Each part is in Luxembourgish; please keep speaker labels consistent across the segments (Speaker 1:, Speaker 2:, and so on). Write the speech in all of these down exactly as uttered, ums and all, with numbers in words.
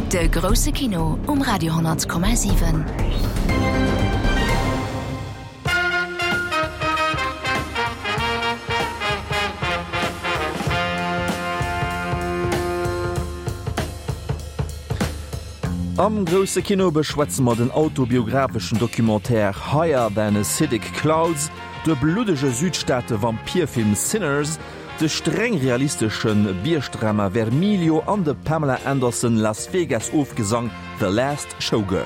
Speaker 1: De grousse Kino um Radio honnert Komma siwen.
Speaker 2: Am grousse Kino beschwätze mer den autobiographeschen Documentaire Higher Than Acidic Clouds, de bluddege Südstaate-Vampirfilm Sinners, de streng realistesche Biergdrama Vermilio an de Pamela Anderson Las Vegas Ofgesang The Last Showgirl.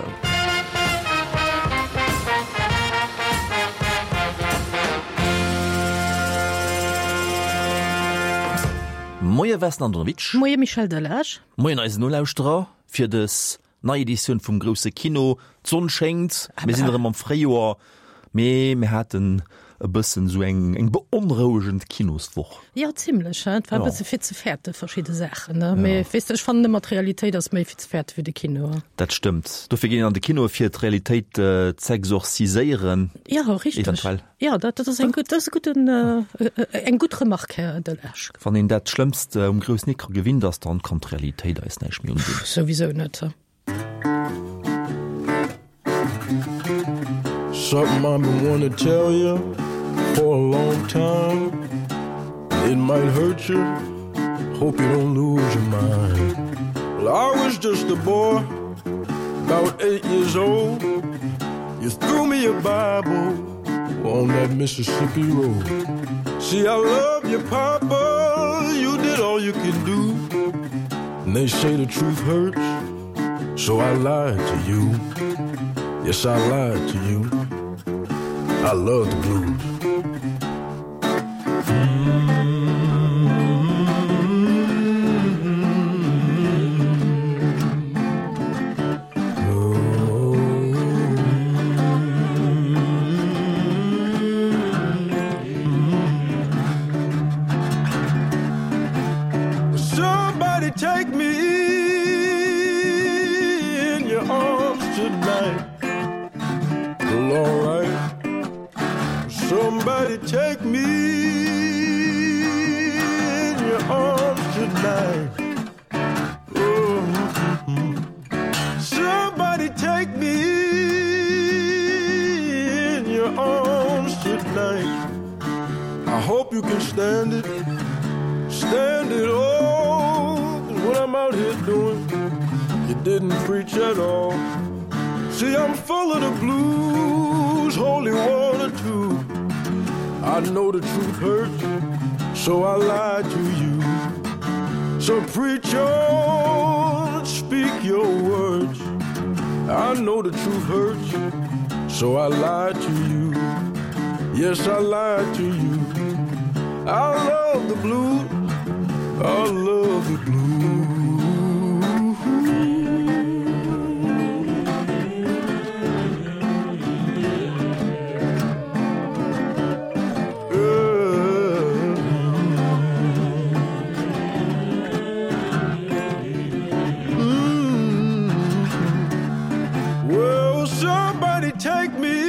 Speaker 2: Moie Vesna Andonovic.
Speaker 3: Moie Michel Delage.
Speaker 2: Moien eisen Nolauschterer fir dës nei Editioun vum grousse Kino. D'Sonn schéngt, mir sinn erëm am Fréijoer, mee mir haten e bëssen esou eng eng beonrouegend Kinoswoch.
Speaker 3: Jo, zimlech, hein. Et war e bësse fir ze fäerte verschidde Saachen, ne? Mee weess de, ech fannen ëmmer, d'Realitéit ass méi fir ze fäerte wéi de Kino.
Speaker 2: Dat stëmmt. Dofir ginn een an de Kino, fir d'Realitéit z'exorziséieren.
Speaker 3: Jo, richteg.
Speaker 2: Eventuell.
Speaker 3: Jo, dat dat ass eng gutt, dat ass e gudden, eng gutt Remarque, Här Delage.
Speaker 2: Wann een dat Schlëmmst um groussen Ecran gewinnt ass, dann kann d'Realitéit eis näischt méi undinn.
Speaker 3: Souwisou net.
Speaker 4: Something I've been wanting to tell you for a long time. It might hurt you, hope you don't lose your mind. Well, I was just a boy, about eight years old. You threw me a Bible on that Mississippi road. See, I love you, Papa, you did all you can do. And they say the truth hurts, so I lied to you. Yes, I lied to you. I love the blues. Somebody take me in your arms tonight. Well, all right. Somebody take me in your arms tonight. Oh, mm-hmm. Somebody take me in your arms tonight. I hope you can stand it, stand it all. 'Cause what I'm out here doing, you didn't preach at all. See, I'm full of the blues, holy water too. I know the truth hurts, so I lied to you. So preach on, speak your words. I know the truth hurts, so I lied to you. Yes, I lied to you. I love the blues, I love the blues. Well, somebody take me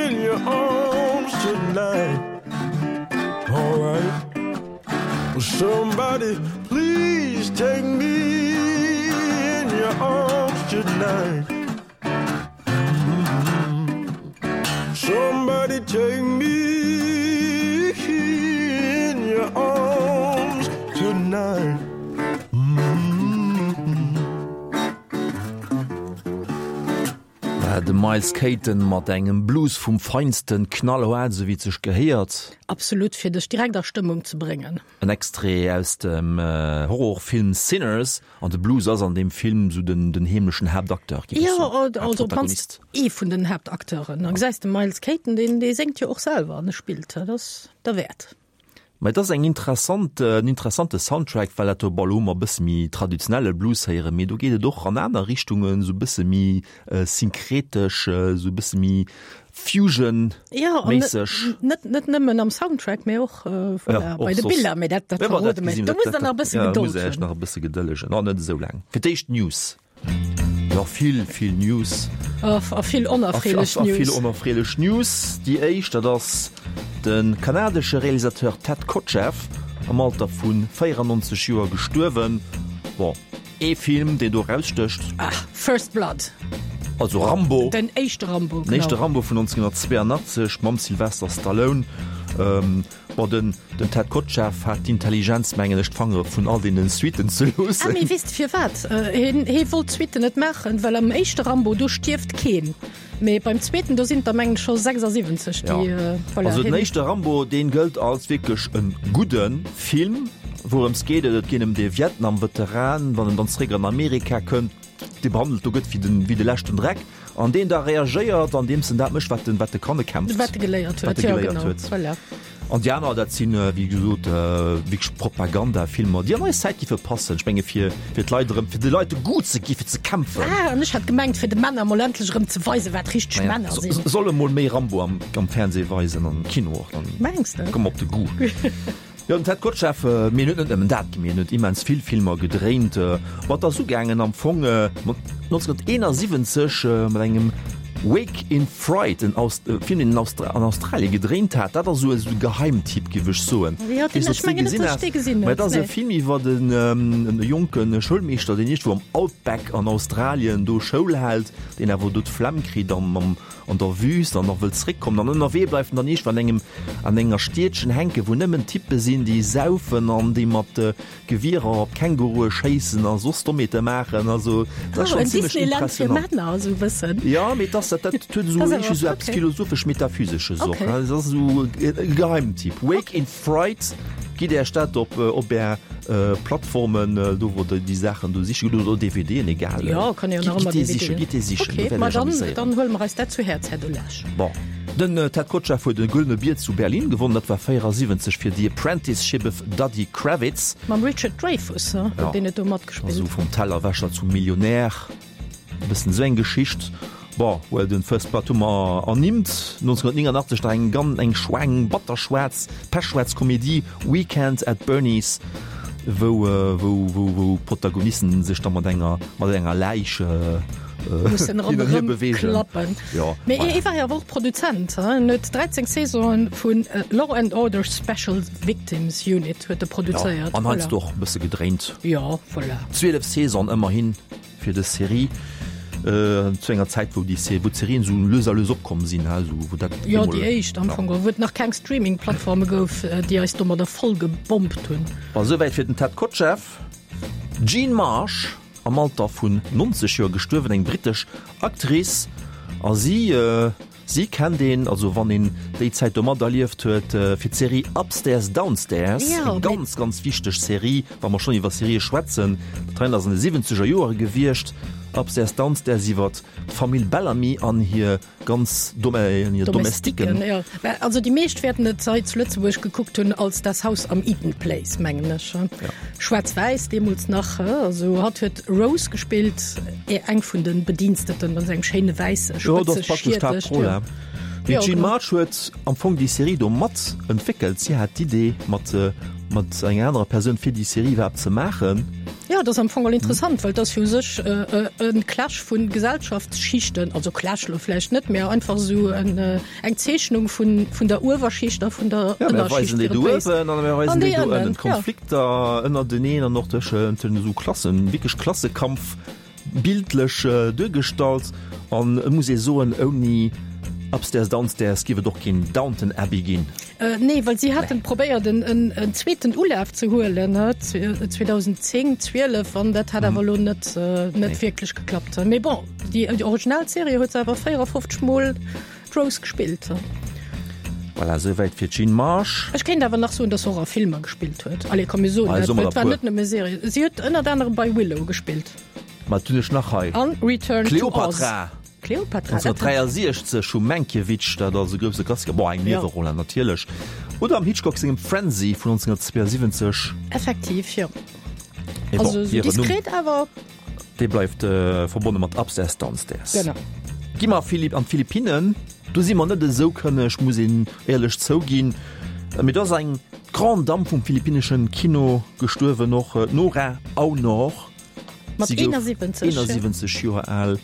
Speaker 4: in your arms tonight. All right. Well, somebody please take me in your arms tonight. Mm-hmm. Somebody take me in your arms tonight.
Speaker 2: De Miles Caton mat engem Blues vum Feinsten, knallhaart, esou wéi et sech gehéiert.
Speaker 3: Absolut, fir dech direkt a Stëmmung ze bréngen.
Speaker 2: En Extrait aus dem Horrorfilm Sinners, an de Blues ass an deem Film esou den den heemlechen Haaptacteur, géif ech
Speaker 3: Jo,
Speaker 2: soen,
Speaker 3: also op d'mannst
Speaker 2: Haaptprotagonist.
Speaker 3: ee vun den Haaptacteuren. A gesäis de Miles Caton, deen dee séngt jo och selwer an e spillt, dat ass derwäert.
Speaker 2: Mä et ass eng interessant, en interessante Soundtrack, well dat do, bon, elo hu mer e bësse méi traditionelle Blues héieren, mee do geet et och an aner Richtungen, esou e bësse méi synkretesch, esou e bësse méi Fusion-méisseg.
Speaker 3: Jo, an net, net nëmmen am Soundtrack, mee och, voilà, bei de Biller. Mee dat, dat verrode mer. Do muss der nach e bësse Gedold hunn.
Speaker 2: Jo, muss der iech nach e bësse gedëllegen. Oh, net esou laang. Fir d'éischt d'News. Jo, vill, vill News.
Speaker 3: A vill onerfreelech News.
Speaker 2: A vill onerfreelech News. Déi éischt, dat ass de kanadesche Realisateur Ted Kotcheff, am Alter vu véierannonzeg Joer gestuerwen. Bon, ee Film, deen do erausstécht.
Speaker 3: Ah, First Blood.
Speaker 2: Also Rambo.
Speaker 3: Den éischte Rambo,
Speaker 2: genau. Den éischte Rambo vun nonzénhunnertzweeanachtzeg mam Sylvester Stallone. Ähm, bon, den, den Ted Kotcheff hat d'Intelligenz, mengen ech, d'Fangere vun all deenen Suiten ze loossen.
Speaker 3: Ah, mee weess de firwat? Hien, hie wollt d'Suiten net maachen, well am éischte Rambo, do stierft keen. Mee beim zweeten, do sinn et der mengen ech scho sechsasiwwenzeg, déi,
Speaker 2: Ja.
Speaker 3: voilà,
Speaker 2: Also den
Speaker 3: hien.
Speaker 2: éischte Rambo, deen gëllt als wierklech e gudde Film. Wourëms geet et? Et geet ëm dee Vietnam-Veteran, wann en dann zeréck an Amerika kënnt, dee behandelt do gëtt wéi den, wéi de leschten Dreck an deen da reagéiert, andeems en dat mécht, wat en, wat e kann, e kämpft.
Speaker 3: Wat e geléiert
Speaker 2: Wat
Speaker 3: huet,
Speaker 2: e
Speaker 3: jo,
Speaker 2: geléiert
Speaker 3: genau,
Speaker 2: huet.
Speaker 3: voilà.
Speaker 2: An déi aner, dat sinn, wéi gesot, wierklech Propagandafilmer, déi an eis Zäit giffe passen. Ech menge fir, fir d'Leit erëm, fir de Leit de Goût ze gi fir ze kämpfen.
Speaker 3: Ah, an ech hat gemengt, fir de Männer emol endlech erëm ze weisen, wat richteg
Speaker 2: Naja,
Speaker 3: Männer sinn.
Speaker 2: soll emol méi Rambo am, am Fernseh weisen, am Kino och, dann
Speaker 3: Mengs de?
Speaker 2: komme mer op de Goût. Jo, den Ted Kotcheff, mee en huet net nëmmen dat gemaach, en huet immens vill Filmer gedréint. Ma et ass ugaangen am Fong nonzénhunnerteenasiwwenzeg mat engem Wake in Fright, en Film, deen en an Australien gedréint hat. Dat ass esou e Geheimtipp, géif ech soen.
Speaker 3: Jo, deen, ech mengen net, datt ech dee gesinn
Speaker 2: hunn. Mä et ass e Film iwwer en jonke Schoulmeeschter, deen iergendwou am Outback an Australien do Schoul hält, deen awer do d'Flemm kritt am an der Wüst an nach wëllt zréckkommen an ënnerwee bleift en dann iergendwann an engem an enger Stiedchen hänken, wou nëmmen Typpe sinn, déi saufen an déi mat Gewierer op Kängurue schéissen a soss Dommheete maachen. Also dat ass
Speaker 3: Oh,
Speaker 2: schonn
Speaker 3: en
Speaker 2: zimlech
Speaker 3: Disneyland fir
Speaker 2: impressionant.
Speaker 3: Männer, esou e bëssen.
Speaker 2: Jo, mee et ass dat, dat huet esou
Speaker 3: Ass
Speaker 2: iergendwéi
Speaker 3: awer
Speaker 2: esou eppes
Speaker 3: okay.
Speaker 2: Philosophesch-Metaphysesches och,
Speaker 3: Okay.
Speaker 2: ne? Et ass esou e Geheimtipp. Wake in Fright. Gitt Äech dat op op Är Plattformen, do wou der déi Saachen do siche gitt, oder D V Dën, egal.
Speaker 3: Jo, kann een jo nach ëmmer
Speaker 2: Gitt déi
Speaker 3: D V D.
Speaker 2: sichen, gitt déi sichen, do
Speaker 3: Okay,
Speaker 2: wäert
Speaker 3: ma
Speaker 2: Iech
Speaker 3: dann,
Speaker 2: amuséieren.
Speaker 3: dann huele mer eis dat zu Häerz, Här Delage.
Speaker 2: Bon, den Ted Kotcheff huet e Gëllene Bier zu Berlin gewonnen, dat war véierasiwwenzeg fir The Apprenticeship of Duddy Kravitz.
Speaker 3: Mam Richard Dreyfuss, huet
Speaker 2: Ja.
Speaker 3: deen et do matgespillt.
Speaker 2: Also vum Tellerwäscher zum Millionär, e bëssen esou eng Geschicht. Bon, well den First Blood hu mer ernimmt, nonzénhunnertnénganachtzeeg nach eng ganz, eng schweng, batterschwaarz, pechschwaarz Komedie, Weekend at Bernie's, wou, wou, wou, wou d'Protagonisten sech da mat enger, mat enger Läich
Speaker 3: mussen
Speaker 2: hin an hier
Speaker 3: ronderëm
Speaker 2: beweegen.
Speaker 3: klappen.
Speaker 2: Jo,
Speaker 3: Mee
Speaker 2: voilà.
Speaker 3: hie war jo awer och Produzent, hein? En huet dräizéng Saisonen vun Law and Order Special Victims Unit huet e
Speaker 2: Ja,
Speaker 3: produzéiert.
Speaker 2: an heiansdo
Speaker 3: Voilà.
Speaker 2: och e bësse gedréint.
Speaker 3: Jo, voilà.
Speaker 2: Zwielef Saisonen ëmmerhin fir dës Serie. Zu enger Zäit, wou déi wou d'Serien esou lues a lues opkomm sinn, ha, esou wou dat
Speaker 3: Jo,
Speaker 2: emol
Speaker 3: déi éischt am Fong, wou et nach keng Streaming-Plattforme gouf, déi eis domadder voll gebombt hunn.
Speaker 2: Bon, esouwäit fir den Ted Kotcheff. D'Jean Marsh, am Alter vun nonzeg Joer gestuerwen, eng brittesch Actrice, a si, si kennt een, also wann een déi Zäit do materlieft huet, fir d'Serie Upstairs Downstairs, eng ganz, ganz wichteg Serie, wa mer schonn iwwer Serië schwätzen. Dat hei ass an de siwwenzeger Joere gewiescht. Upstairs Downstairs iwwert d'Famill Bellamy an hir ganz hir Domestiken.
Speaker 3: Domestiken, jo. Mä also déi meescht wäerten et hei zu Lëtzebuerg gekuckt hunn als Das Haus am Eaton Place, mengen ech. Schwaarz-wäiss deemools nach. Also hatt huet Rose gespillt, eng vun de Bediensteten, mat engem schéine wäisse
Speaker 2: Jo, dat
Speaker 3: spëtze
Speaker 2: ass praktesch
Speaker 3: Schiertech.
Speaker 2: d'Haaptroll, hè. Mee
Speaker 3: Jo,
Speaker 2: d'Jean
Speaker 3: genau.
Speaker 2: March huet am Fong déi Serie do mat entwéckelt. Si hat d'Idee mat mat enger anerer Persoun fir déi Serie iwwerhaapt ze maachen.
Speaker 3: Jo, dat ass am Fong all interessant, well et ass jo u sech e Clash vu Gesellschaftsschichten, also Clash lo vläicht net, mä einfach esou eng Zeechnung vun vun der Uewerschicht a vun der
Speaker 2: Ja, mir
Speaker 3: Ënnerschicht
Speaker 2: weisen déi
Speaker 3: fir
Speaker 2: do
Speaker 3: et béis.
Speaker 2: uewen an mir weisen
Speaker 3: An
Speaker 2: déi
Speaker 3: déi
Speaker 2: do
Speaker 3: ënnen,
Speaker 2: ënnen.
Speaker 3: ja.
Speaker 2: D'Konflikter ënnerteneen an och tëschent esou Klassen, wierklech Klassekampf bildlech duergestallt. An et muss ee soen, ouni Upstairs Downstairs giff et och keen Downton Abbey ginn.
Speaker 3: Nee, well si haten probéiert en en zweeten Ulaf ze huelen, zweedausendzéng, zwielef, an dat hat awer elo net net wierklech geklappt. Mee bon, déi Originalserie huet se awer véierafofzeg Mol d'Rose gespillt.
Speaker 2: Voilà, esouwäit fir d'Jean Marsh.
Speaker 3: Ech kéint awer nach soen, dass se och a Filmer gespillt huet. Allez, komm mir soen dat, well et war net nëmme Serie. Si huet ënnert anerem bei Willow gespillt.
Speaker 2: Wat hunn ech nach hei?
Speaker 3: An Return to Oz.
Speaker 2: Kleopatra.
Speaker 3: Kleopatra, dat hat.
Speaker 2: nonzénhunnertdräiasiechzeg vum Mankiewicz, dat ass e grousse Klassiker, bon, eng Nieweroll natierlech. Oder am Hitchcock sengem Frenzy vun nonzénhunnertzweeasiwwenzeg.
Speaker 3: Effektiv, jo.
Speaker 2: Mee bon,
Speaker 3: Also esou
Speaker 2: hiren Numm,
Speaker 3: diskret awer.
Speaker 2: dee bleift verbonne mat Upstairs Downstairs.
Speaker 3: Genau.
Speaker 2: Gi mer an d'Philippinnen. Do si mer net esou kënneg, muss een éierlech zouginn. Mee do ass eng Grande Dame vum philippinneschen Kino gestuerwen, och d'Nora Aunor.
Speaker 3: Mat
Speaker 2: Si gouf
Speaker 3: éinasiwwenzeg.
Speaker 2: éinasiwwenzeg Joer al.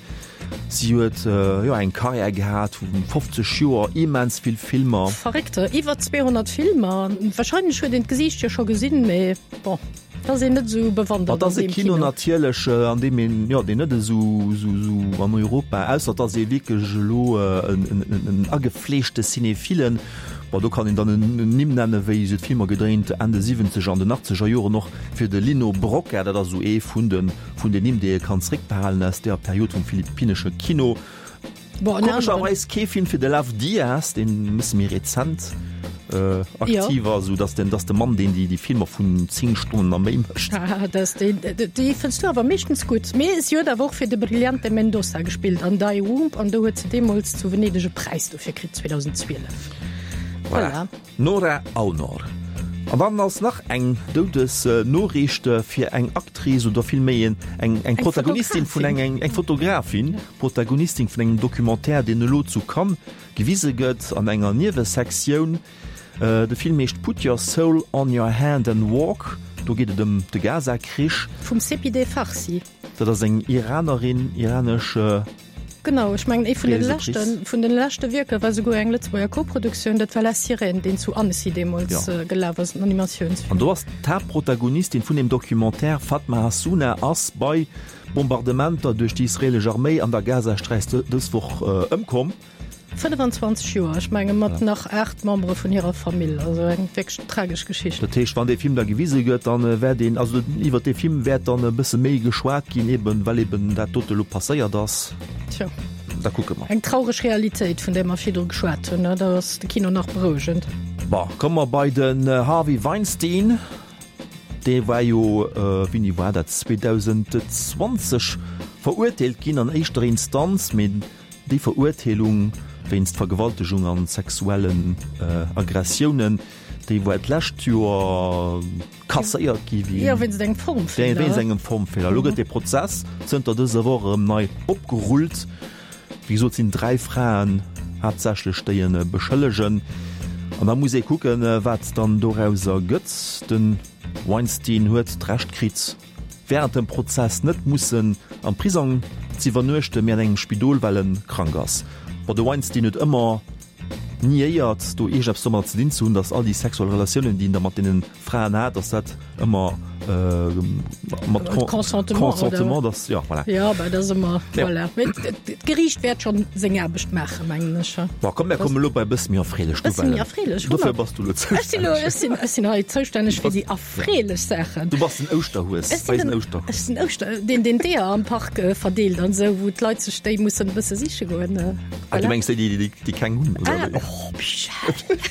Speaker 2: Si huet jo eng Karriär gehat vu fofzeg Joer, immens vill Filmer.
Speaker 3: Verréckt, iwwer zweehonnert Filmer. Warscheinlech huet een d'Gesiicht jo scho gesinn, mee bon. Da ass een net esou bewandert
Speaker 2: an deem Kino. Dat ass e Kino natierlech, an deem een, jo, deen net esou, esou, esou an Europa, ausser et ass ee wierklech elo en, en, en agefleeschte Cinéphile. Bon, do kann een dann en Nimm nennen, wéi se d'Filmer gedréint Enn de siwwenzeger an den achtzeger Joren och fir de Lino Brocka. Dat ass esou ee vun de, vun den Nimm, déi ee kann zréckbehalen aus deeër Period vum philippinnesche Kino. Komescherweis kee Film fir de Lav Diaz, deen e bësse méi rezent aktiv ass, esou dass den, dass de Mann, deen déi, déi Filmer vun zéng Stonnen a méi mécht.
Speaker 3: Dass deen, déi fënns du awer meeschtens gutt. Mee si huet awer och fir de Brillante Mendoza gespillt an Die Womb an do huet se deemools zu Venedeg e Präis dofir kritt, zweedausendzwielef.
Speaker 2: Voilà. Nora Aunor. An dann ass nach eng Doudesnoriicht fir eng Actrice oder villméi eng, eng Protagonistin vun engem, eng Fotografin, Protagonistin vun engem Documentaire, deen elo zu Cannes gewise gëtt an enger Niewesektioun. De Film heescht Put Your Soul on Your Hand and Walk. Do geet et ëm de Gaza-Krich.
Speaker 3: Vum Sepideh Farsi.
Speaker 2: Dat ass eng Iranerin, iranesch.
Speaker 3: Genau, ech mengen ee vun den leschten, vun den leschte Wierker war souguer eng Lëtzebuerger Koproduktioun, dat war La Sirène, deen zu Annecy deemools ja. gelaf ass, en Animatiounsfilm.
Speaker 2: An do ass d'Haaptprotagonistin vun dem Documentaire, Fatma Hassouna, ass bei Bombardementer duerch déi israelesch Arméi an der Gazasträif dës Woch ëmkomm.
Speaker 3: fënnefenzwanzeg Joer, ech menge mat nach aacht Membere vun hirer Famill, also eng wierklech tragesch Geschicht.
Speaker 2: Dat heescht, wann dee Film da gewise gëtt, dann wäert een, also iwwert dee Film wäert dann e bësse méi geschwat ginn, eben well eben dat dote elo passéiert ass.
Speaker 3: Tjo.
Speaker 2: Da kucke mer.
Speaker 3: Eng traureg Realitéit, vun där mer virdru geschwat hunn, da ass de Kino nach berouegend.
Speaker 2: Bon, komme mer bei den Harvey Weinstein. Dee war jo, wéini war dat, zweedausendzwanzeg verurteelt ginn an éischter Instanz, mee Déi Verurteelung wéinst Vergewaltegung an sexuellen Aggressiounen, déi war d'lescht Joer kasséiert gi
Speaker 3: wéinst engem Formfeeler.
Speaker 2: Wéinst engem Formfeeler. Elo gëtt dee Prozess zënter dëser Woch erëm nei opgerullt. Wéi gesot, et sinn dräi Fraen haaptsächlech, déi e beschëllegen. An da muss ee kucken, wat dann dorauser gëtt. De Weinstein huet d'Recht kritt, während dem Prozess net mussen am Prisong z'iwwernuechten, mee an engem Spidol, well en krank ass. Bon, de Weinstein huet ëmmer niéiert, do iergendeppes domadder ze dinn ze hunn, datt all déi sexuell Relatiounen, déi en da mat deene Fraen hat, datt dat ëmmer mat
Speaker 3: Consentement,
Speaker 2: Consentement, datt, jo, voilà.
Speaker 3: Jo, bah, dat ass ëmmer, voilà. Mee d'Geriicht wäert schonn seng Aarbecht maachen, mengen ech.
Speaker 2: Bon, komm, mir kommen elo bei e bësse méi erfreelech
Speaker 3: Bësse méi erfreelech, hu mer.
Speaker 2: Dofir bass du elo
Speaker 3: zoustänneg. Ech sinn elo, ech sinn, ech sinn hei zoustänneg fir déi Erfreelech Saachen.
Speaker 2: Du bass den Ouschterhues,
Speaker 3: Ech sinn den, ech sinn Ouschter, deen deen d'Eeër am Park verdeelt an esou, wou d'Leit sech déi mussen e bësse siche goen.
Speaker 2: Ah, du mengs déi, déi, déi keng hunn, oder
Speaker 3: Ah,
Speaker 2: wéi?
Speaker 3: oh, Michel!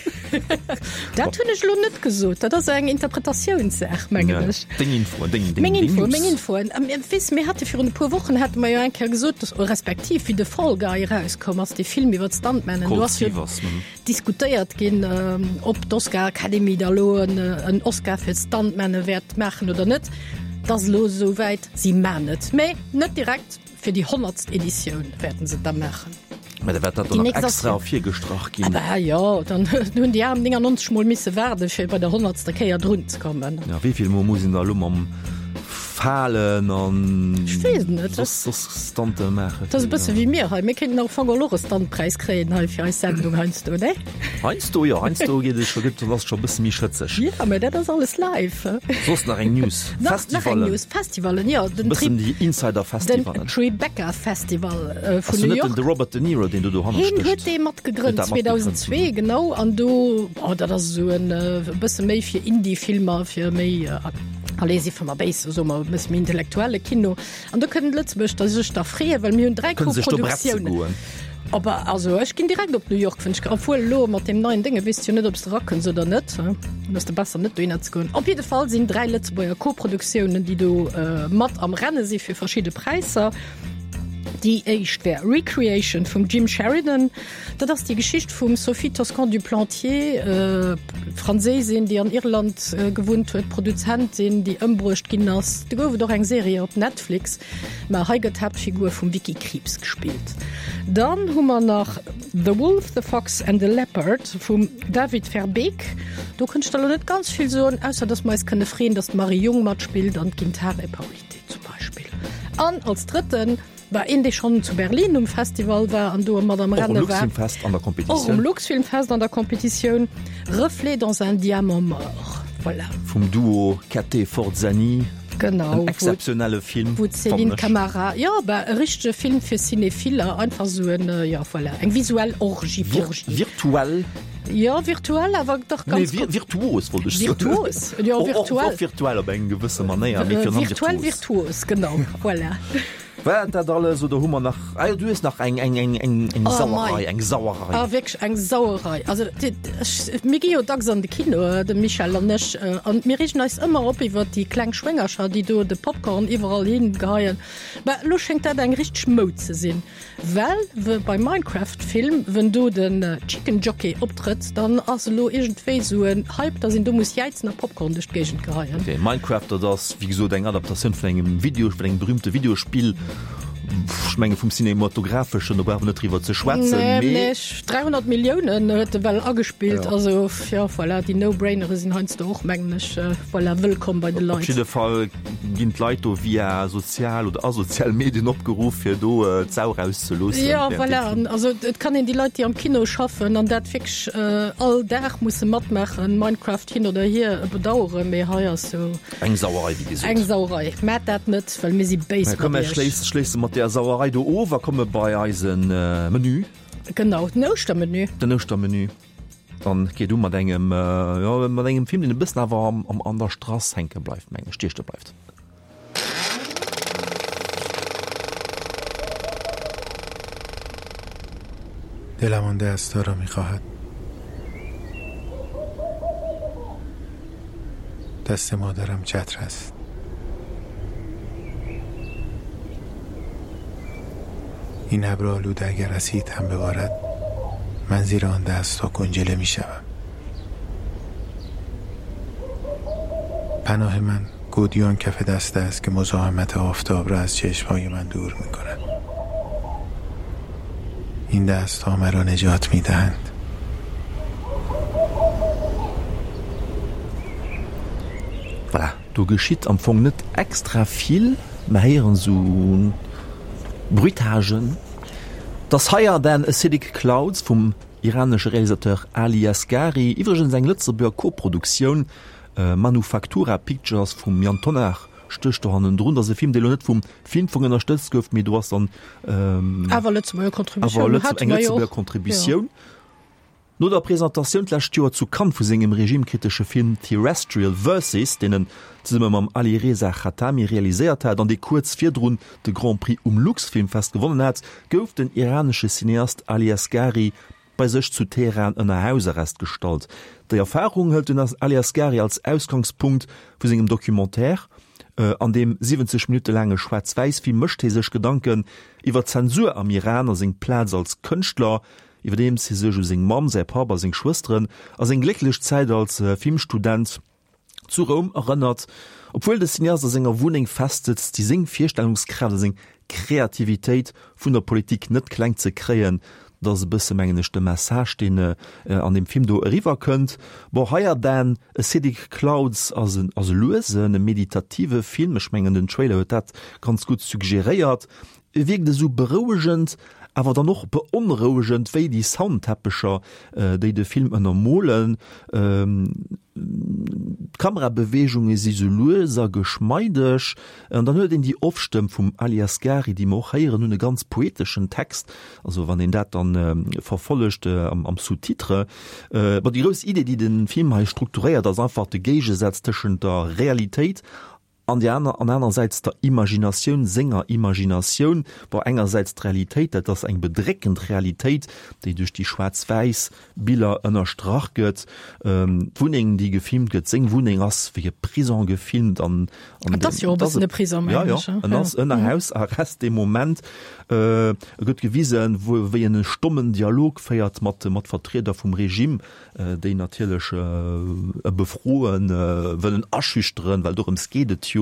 Speaker 3: Dat hunn ech elo net gesot. Dat ass eng Interpretatiounssaach, mengen
Speaker 2: Ja,
Speaker 3: ech.
Speaker 2: deng Infoen, deng, deng,
Speaker 3: Meng
Speaker 2: deng
Speaker 3: Infoen,
Speaker 2: News.
Speaker 3: meng Infoen. Ähm, Weess, mir hate virun e puer Wochen hate mer jo eng Kéier gesot, dass, respektiv wéi de Fall Guy erauskoum ass, dee Film iwwer d'Stuntmannen, do
Speaker 2: Colt
Speaker 3: ass jo
Speaker 2: Sievers, mhm.
Speaker 3: diskutéiert ginn, ob d'Oscar Academy da elo en Oscar fir d'Stuntmänne wäert maachen oder net. Et ass elo esou wäit, si maan et, mä net direkt, fir déi honnertst Editioun wäerten se et da maachen.
Speaker 2: Mä da wäert dat dann nach extra ervirgestrach ginn.
Speaker 3: Ah bah jo, dann hunn déi aner néngannonzeg Mol misse waarde fir bei der honnertster Kéier drun ze kommen.
Speaker 2: Jo, wéi vill Mol muss een da elo mam Falen an
Speaker 3: Ech weess et net.
Speaker 2: soss soss Stante maachen?
Speaker 3: Dat ass e bësse wéi mir hei. Mir kéinten am Fong och e Stuntpräis kréien hei fir eis Sendung heiansdo, ne?
Speaker 2: Heiansdo jo, heiansdo geet et scho, gëtt ass et scho e bësse méi schëtzeg.
Speaker 3: Jo, mä dat ass alles live.
Speaker 2: Soss nach eng News?
Speaker 3: Nach, nach eng
Speaker 2: Festivalen.
Speaker 3: News, Festivalen, jo, den
Speaker 2: Bëssen
Speaker 3: Tri
Speaker 2: déi Insider-Festivalen.
Speaker 3: den Tribeca Festival vun
Speaker 2: Ass
Speaker 3: New
Speaker 2: do net
Speaker 3: York.
Speaker 2: den de Robert De Niro, deen do dohanner
Speaker 3: Heen
Speaker 2: stécht?
Speaker 3: huet dee mat
Speaker 2: Huet
Speaker 3: gegrënnt,
Speaker 2: dat matgegrënnt,
Speaker 3: zweedausendzwee, genau. An do, oh, dat ass esou en e bësse méi fir Indie-Filmer, fir méi Allez, si mer béis, soe mer, e bësse méi intellektuelle Kino. An do kënnen d'Lëtzebuerger sech da freeën, well mir hunn dräi
Speaker 2: Kënne sech do bretze
Speaker 3: Koproduktiounen.
Speaker 2: goen.
Speaker 3: Op, also ech ginn direkt op New York, wann ech, obwuel elo mat deem neien Dénge weess de jo net, ob s de erakënns oder net. Dann ass de besser net dohinner ze goen. Op jidde Fall sinn dräi Lëtzebuerger Koproduktiounen, déi do mat am Renne si fir verschidde Präisser. Déi éischt wär Recreation vum Jim Sheridan. Dat ass déi Geschicht vum Sophie Toscan du Plantier, Franséisin, déi an Irland gewunnt huet, Produzentin, déi ëmbruecht ginn ass. Do gouf et och eng Serie op Netflix, mä hei gëtt d'Haaptfigur vum Vicky Krieps gespillt. Dann hu mer nach The Wolf, the Fox and the Leopard vum David Verbeek. Do kënnt ech der elo net ganz vill soen, ausser datt mer eis kënne freeën, datt d'Marie Jung matspillt an d'Gintare Paulytė zum Beispill. An als drëtten war een, dee schonn zu Berlin um Festival war an do mat am
Speaker 2: Och um
Speaker 3: Renne war.
Speaker 2: Luxfilmfest an der
Speaker 3: Och um
Speaker 2: Competitioun.
Speaker 3: Luxfilmfest an der Competitioun, Reflets dans un diamant mort Voilà.
Speaker 2: Vum Duo Cattet-Forzani.
Speaker 3: Genau.
Speaker 2: En exzeptionelle Film,
Speaker 3: Wou d'Céline
Speaker 2: fannen ech.
Speaker 3: Camara, jo, bah, e richtege Film fir Cinephiller, einfach sou en, jo, voilà, eng visuell Orgie,
Speaker 2: Vir
Speaker 3: Orgie.
Speaker 2: Virtuell.
Speaker 3: Jo, virtuell, awer dach
Speaker 2: Nee,
Speaker 3: ganz
Speaker 2: vir
Speaker 3: gutt.
Speaker 2: virtuos wollt ech soen.
Speaker 3: Virtuos, jo,
Speaker 2: Och, och,
Speaker 3: virtuell.
Speaker 2: och virtuell op eng gewësse Manéier, mee virun allem
Speaker 3: Virtuell
Speaker 2: virtuos.
Speaker 3: virtuos, genau, voilà.
Speaker 2: War et dat alles oder hu mer nach, ah jo, du hues nach eng, eng, eng, eng, eng
Speaker 3: Oh,
Speaker 2: Sauerei,
Speaker 3: mei.
Speaker 2: eng Sauerei.
Speaker 3: Ah, wierklech eng Sauerei. Also, déi, ech, mir gi jo dacks an de Kino, de Michel an ech, an mir reegen eis ëmmer op iwwert déi kleng Schwéngercher, déi do de Popcorn iwwerall hin geheien. Mä elo schéngt dat eng richteg Moud ze sinn, well we beim Minecraft-Film, wenn do den Chicken Jockey optrëtt, dann ass elo iergendwéi esou en Hype, dass een do muss jäizen a Popcorn duerch d'Géigend geheien.
Speaker 2: Okay, Minecraft, dat ass wéi gesot eng Adaptatioun vun engem Video, vun engem berühmte Videospill. Ech menge vum Cinematographeschen, do brauche mer net driwwer ze schwätzen,
Speaker 3: Nee,
Speaker 2: mee.
Speaker 3: mee dräihonnert Milliounen huet e well agespillt.
Speaker 2: Ja.
Speaker 3: Also jo, voilà, déi No-Brainere sinn heiansdo och, mengen ech, voilà, wëllkomm bei de
Speaker 2: Op
Speaker 3: Leit.
Speaker 2: jidde Fall ginn d'Leit do via sozial oder asozial Medien opgeruff, fir do d'Sau rauszeloossen
Speaker 3: Ja,
Speaker 2: während dem
Speaker 3: voilà,
Speaker 2: Film.
Speaker 3: an also et kann een déi Leit, déi am Kino schaffen an dat wierklech all Dag musse matmaachen, Minecraft hin oder hier, bedaueren, mee hei ass sou.
Speaker 2: Eng Sauerei, wéi gesot.
Speaker 3: Eng Sauerei. Maat dat net, well mir si béis
Speaker 2: Komm,
Speaker 3: mat
Speaker 2: mir
Speaker 3: iech.
Speaker 2: schléisse, schléisse mat där Sauerei do of a komme bei eise Menü.
Speaker 3: Genau, den Ouschtermenü.
Speaker 2: Den Ouschtermenü. Dann geet u mat engem, jo, mat engem Film, deen e bëssen awer am, am, an der Strass hänke bleift, mengen ech, stieche bleift.
Speaker 5: دلم آن دستها را میخواهد دست مادرم چتر است این ابر آلوده اگر اسید هم ببارد من زیر آن دستها کنجله میشوم پناه من گودیان کف دست است که مزاحمت آفتاب را از چشمهای من دور می کند این دست ها مرا نجات می دهند
Speaker 2: Voilà, do geschitt am Fong net extra vill, mer héieren sou Bruitagen. Das Higher Than Acidic Clouds vum iranesche Realisateur Ali Asgari, iwwregens eng Lëtzebuerger Koproduktioun, Manufaktura Pictures vum Yann Tonnar stécht do hannendrun. Dat ass e Film, dee lo net vum Filmfong ënnerstëtzt gouf, mee do ass dann
Speaker 3: awer Lëtzebuerger Contributioun,
Speaker 2: awer eng Lëtzebuerger Contributioun. No der Presentatioun d'lescht Joer zu Cannes vu sengem regimekritesche Film Terrestrial Verses, deen en zesumme mam Alireza Khatami realiséiert hat an dee kuerz virdrun de Grand Prix um Luxfilmfest gewonnen hat, gouf den iranesche Cineast Ali Asgari bei sech zu Teheran ënner Hausarrest gestallt. Déi Erfarung hëlt den Ali Asgari als Ausgangspunkt vu sengem Documentaire. An deem siwwenzeg Minutte laange Schwaarz-Wäiss-Film mécht hie sech Gedanken iwwer d'Zensur am Iran a seng Plaz als Kënschtler, iwwerdeems hie sech u seng Mamm, säi Papp a seng Schwësteren a seng glécklech Zäit als Filmstudent zu Roum erënnert. Obwuel de Cineast a senger Wunneng festsëtzt, si seng Virstellungskraaft a seng Kreativitéit vun der Politik net kleng ze kréien. Dat ass e bësse, mengen ech, de Message, deen an deem Film do eriwwer kënnt. Bon, Higher Than Acidic Clouds ass en ass e luesen, e meditative Film. Ech mengen, den Trailer huet dat ganz gutt suggeréiert. E wierkt esou berouegend, awer dann och beonrouegend, wéi déi Soundteppecher, déi de Film ënnermolen. D'Kamerabeweegunge si sou lues a geschmeideg. An dann huet een déi Off-Stëmm vum Ali Asgari, déi mer och héieren hunn, e ganz poeteschen Text, also wann een dat dann verfollegt am Sous-titre. Bon, déi grouss Idee, déi de Film hei strukturéiert, ass einfach de Géigesaz tëschent der Realitéit an déi aner, an anersäits der Imaginatioun, senger Imaginatioun. Bon, engersäits d'Realitéit, dat ass eng bedréckend Realitéit, déi duerch déi schwaarz-wäiss Biller ënnerstrach gëtt. D'Wunneng, déi gefilmt gëtt, seng Wunneng ass wéi e Prison gefilmt an, an
Speaker 3: Et ass jo och e bëssen e Prison,
Speaker 2: ja,
Speaker 3: mengen
Speaker 2: ja,
Speaker 3: ech, ja.
Speaker 2: en ass ënner Hausarrest dee Moment. Et gëtt gewisen, wou, wéi en e stommen Dialog féiert mat, mat Vertrieder vum Regime, déi natierlech e befroen, wëllen aschüchteren, well dorëms geet et jo,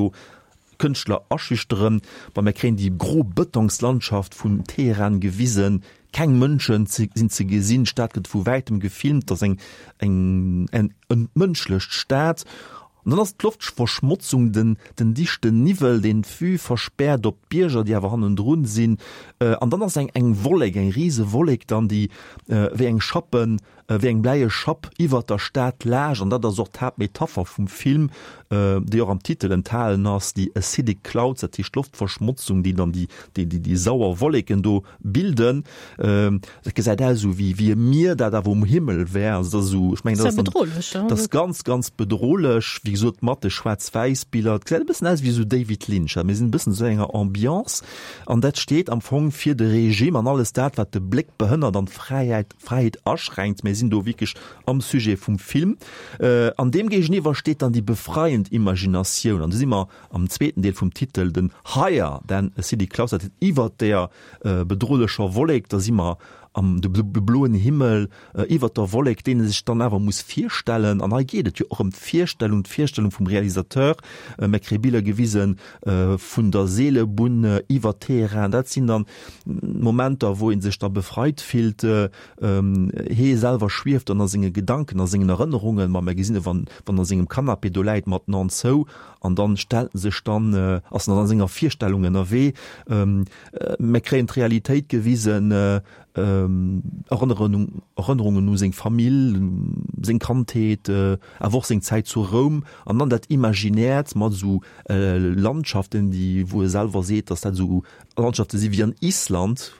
Speaker 2: Kënschtler aschüchteren. Bon, mir kréien déi gro Bëtongslandschaft vun Teheran gewisen, keng Mënschen sinn ze gesinn, d'Stad gëtt vu wäitem gefilmt, et ass eng, eng, eng entmënschlecht Stad. An dann ass d'Loftverschmotzung, den, den dichten Niwwel, deen d'Vue verspäert op d'Bierger, déi awer hannendrun sinn. An dann ass eng, eng Wollek, eng rise Wollek dann, déi wéi eng Schappen wéi eng bläie Schapp iwwert der Stad laascht. An dat ass och d'Haaptmetapher vum Film, déi och am Titel enthalen ass, déi acidic clouds, dat heescht d'Loftverschmotzung, déi dann déi, déi, déi sauer Wolleken do bilden. Dat gesäit aus esou wéi, wéi e Mier, dat awer um Himmel wär. Also dat ass esou, ech mengen, dat ass dann, dat ass ganz, ganz bedrohlech, wéi gesot, mat de Schwaarz-Wäiss-Biller. Et gesäit e bëssen aus wéi esou David Lynch. Mir sinn e bëssen esou enger Ambiance. An dat steet am Fong fir de Regime an alles dat, wat de Bléck behënnert an d'Fräiheit, Fräiheet aschränkt. Mir sinn do wierklech am Sujet vum Film. An deem géigeniwwer steet dann déi befreiend Imaginatioun. An do si mer am zweeten Deel vum Titel, den Higher than a City Clouds, dat heescht iwwert där bedrohlecher Wollek, da si mer am de bloen Himmel iwwert der Wollek, deen e sech dann awer muss virstellen. An hei geet et jo och ëm d'Virstellung, d'Virstellung vum Realisateur. Mir kréie Biller gewise vun der Seelebunn iwwer Teheran. Dat sinn dann Momenter, wou ee sech da befreit fillt. Hee selwer schwieft dann a senge Gedanken, a sengen Erënnerungen. Ma mir gesinn e wann wann a sengem Canapé do läit mat den An zou an dann stellt en sech dann, ass en dann a senger Virstellung ënnerwee. Mir kréien d'Realitéit gewisen, Erënnerungen u seng Famill, seng Kandheet, awer och seng Zäit zu Roum an dann dat Imaginäert mat esou Landschaften, déi, wou e selwer seet, datt dat esou Landschafte si wéi an Island.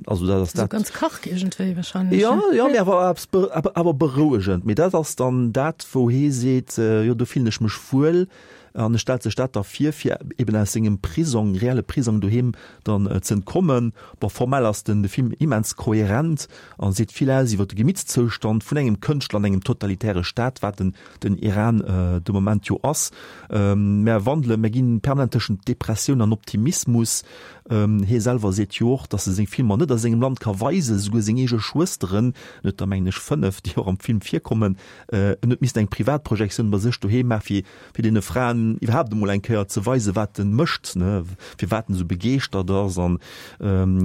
Speaker 2: Also dat ass dat.
Speaker 3: Ganz karg iergendwéi wahrscheinlech.
Speaker 2: Jo, jo, mee awer eppes, awer berouegend. Mee dat ass dann dat, wou hee seet, jo do fillen ech mech wuel. An e stellt sech dat da vir, fir eben aus sengem Prisong, reelle Prisong doheem dann ze entkommen. Bon, formell ass den de Film immens kohärent a seet vill aus iwwer de Gemittszoustand vun engem Kënschtler an engem totalitäre Staat, wat den den Iran de Moment jo ass. Mär wandelen, mär ginn permanent tëschent Depressioun an Optimismus. Hie selwer seet jo och, datt e seng Filmer net a sengem Land ka weisen, esouguer seng eege Schwësteren, en huet der mengen ech fënnef, déi och am Film virkommen, en huet missten eng Privatprojektioun bei sech doheem maachen, fir fir deene Fraen iwwerhaapt emol eng Kéier ze weisen, wat en mécht, ne, firwat en esou begeeschtert ass. An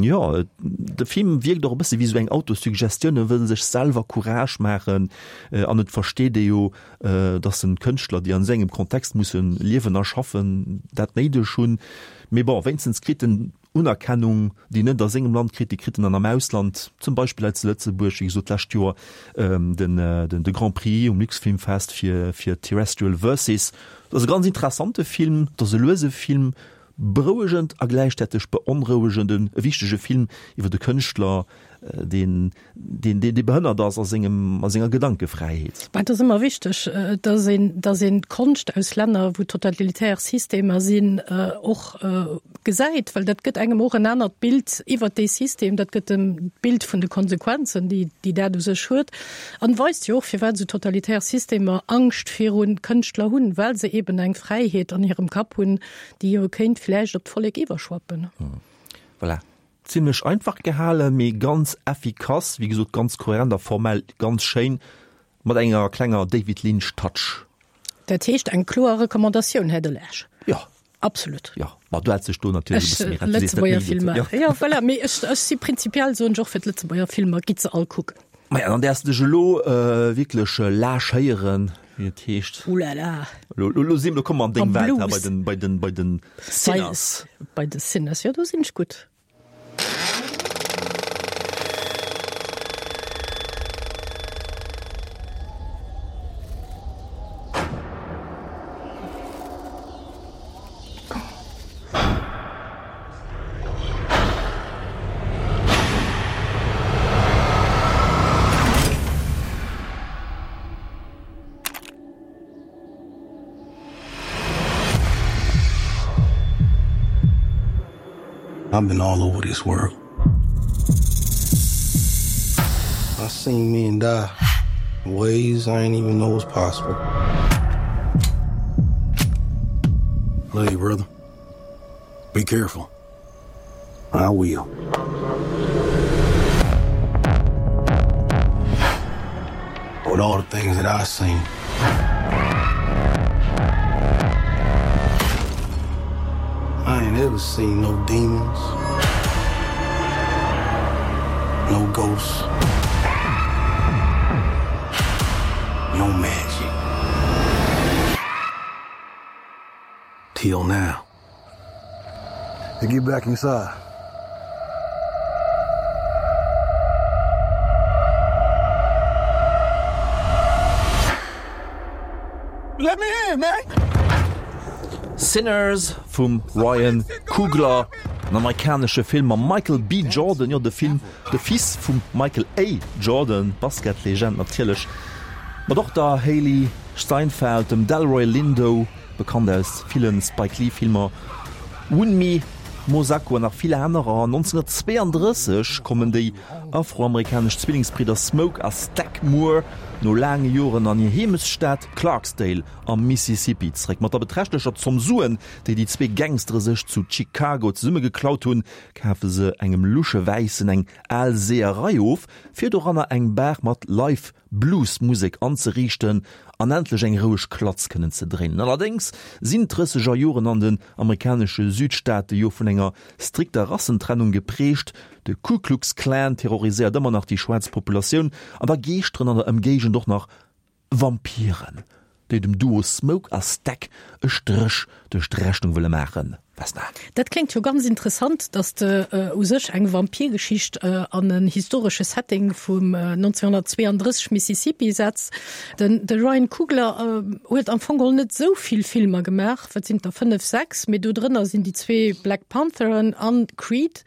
Speaker 2: jo, de Film wierkt och e bësse wéi esou eng Autosuggestioun, e wëll sech selwer Courage maachen an et versteet ee jo, datt en Kënschtler, déi an esou engem Kontext musse liewen a schaffen, dat néideg hunn. Mee bon, wéinstens kritt en Unerkennung, déi en net a sengem Land kritt, déi kritt en dann am Ausland, zum Beispill hei zu Lëtzebuerg, wéi gesot d'lescht Joer den de Grand Prix um Luxfilmfest fir fir Terrestrial Verses. Et ass e ganz interessante Film, et ass e luese Film, berouegend a gläichzäiteg beonrouegend, e wichtege Film iwwer e Kënschtler, deen deen deen behënnert ass a sengem a senger Gedankefräiheet.
Speaker 3: Mä et ass ëmmer wichteg, dass een dass een d'Konscht aus Länner, wou totalitär Systemer sinn, och gesäit, well dat gëtt engem och en anert Bild iwwert dee System, dat gëtt em d'Bild vun de Konsequenzen, déi déi dat u sech huet, an weist jo och, firwat esou totalitär Systemer Angscht viru Kënschtler hunn, well se eben eng Fräiheet an hirem Kapp hunn, déi jo kéint vläicht op d'Vollek iwwerschwappen.
Speaker 2: Voilà. Zimlech einfach gehalen, mee ganz effikass, wéi gesot ganz kohärent a formell ganz schéin, mat enger klenger David Lynch Touch.
Speaker 3: Dat heescht eng kloer Recommandatioun, Här Delage?
Speaker 2: Jo.
Speaker 3: Absolut.
Speaker 2: Jo, ma du häls dech do natierlech e bësse méi
Speaker 3: Ech, Lëtzebuerger Filmer, jo voilà, mee ech, ech si prinzipiell, soen ech och fir d'Lëtzebuerger Filmer, gitt se all kucken.
Speaker 2: Maja, dann däerfs de dech elo wierklech lâchéieren, wéi et heescht.
Speaker 3: Ouh là là.
Speaker 2: Elo, elo si, elo komme mer an deng Welt, bei den, bei den, bei den Sinners.
Speaker 3: Bei de Sinners, jo, do sinn ech gutt.
Speaker 4: I've been all over this world. I've seen men die in ways I ain't even know was possible. Love you, brother. Be careful. I will. With all the things that I've seen. I ain't ever seen no demons. No ghosts. No magic. Till now.
Speaker 6: They get back inside.
Speaker 4: Let me in, man!
Speaker 2: Sinners vum Ryan Coogler, en amerikanesche Film mam Michael B. Jordan, jo de Film, de Fils vum Michael A. Jordan, Basketlegend natierlech, mat och der Hailee Steinfeld, dem Delroy Lindo, bekannt aus villen Spike Lee Filmer, Wunmi Mosaku an nach vill anerer. nonzénhunnertzweeandrësseg kommen déi afroamerikanesch Zwillingsbridder Smoke a Stack Moore no laange Joren an hir Heemechtsstad Clarksdale am Mississippi zeréck. Mat der beträchtlecher Zomm Suen, déi déi zwee Gangstere sech zu Chicago zesummegeklaut hunn, kafe se engem lusche Wäissen eng al Seeërei of, fir doranner eng Bar mat Live Blues-Musek anzeriichten an endlech eng roueg Klatz kënnen ze dréinen. Allerdéngs sinn d'Drësseger Joren an den amerikanesche Südstaate jo vun enger strikter Rassentrennung geprägt, de Ku Klux Klan terroriséiert ëmmer nach déi schwaarz Populatioun an da geeschteren an der Ëmgéigend och nach Vampiren, déi dem Duo Smoke a Stack e Stréch duerch d'Rechnung wëlle maachen. Vesna.
Speaker 3: Dat kléngt jo ganz interessant, dass de u sech eng Vampirgeschicht an en historesche Setting vum nonzénhunnertzweeandrësseg Mississippi setz. Den de Ryan Coogler huet am Fong geholl net esou vill Filmer gemaach, wat sinn et der, fënnef, sechs, mee do drënner sinn déi zwee Black Pantheren an Creed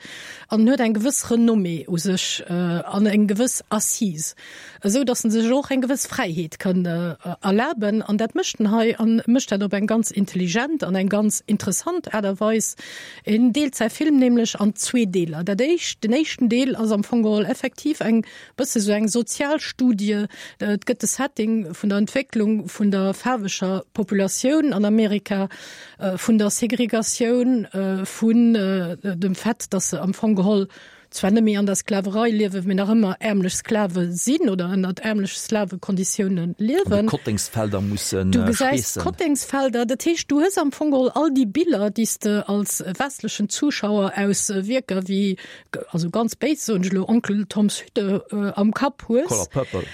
Speaker 3: an en huet eng gewëss Renommée u sech an eng gewëss Assise, esou dass en sech och eng gewëss Fräiheet kann erlaben an dat mécht en hei an mécht dat op eng ganz intelligent an eng ganz interessant Aart a Weis. En deelt säi Film nämlech an zwee Deeler. Dat éischt, den éischten Deel ass am Fong geholl effektiv eng bësse sou eng Sozialstudie. Et gëtt de Setting vun der Entwécklung vun der faarweger Populatioun an Amerika, vun der Segregatioun, vun dem Fait, datt se am Fong geholl zwar net méi an der Sklaverei liewen, mee nach ëmmer äermlech Sklave sinn oder ënnert äermleche Sklavekonditioune liewen.
Speaker 2: An de Kottengsfelder musse
Speaker 3: Du gesäis
Speaker 2: schweessen.
Speaker 3: Kottengsfelder. Dat heescht, du hues am Fong geholl all déi Biller, déi s de als westlechen Zuschauer aus Wierker wéi, also ganz béis soen ech elo, Onkel Toms Hütte am Kapp hues.
Speaker 2: Color Purple.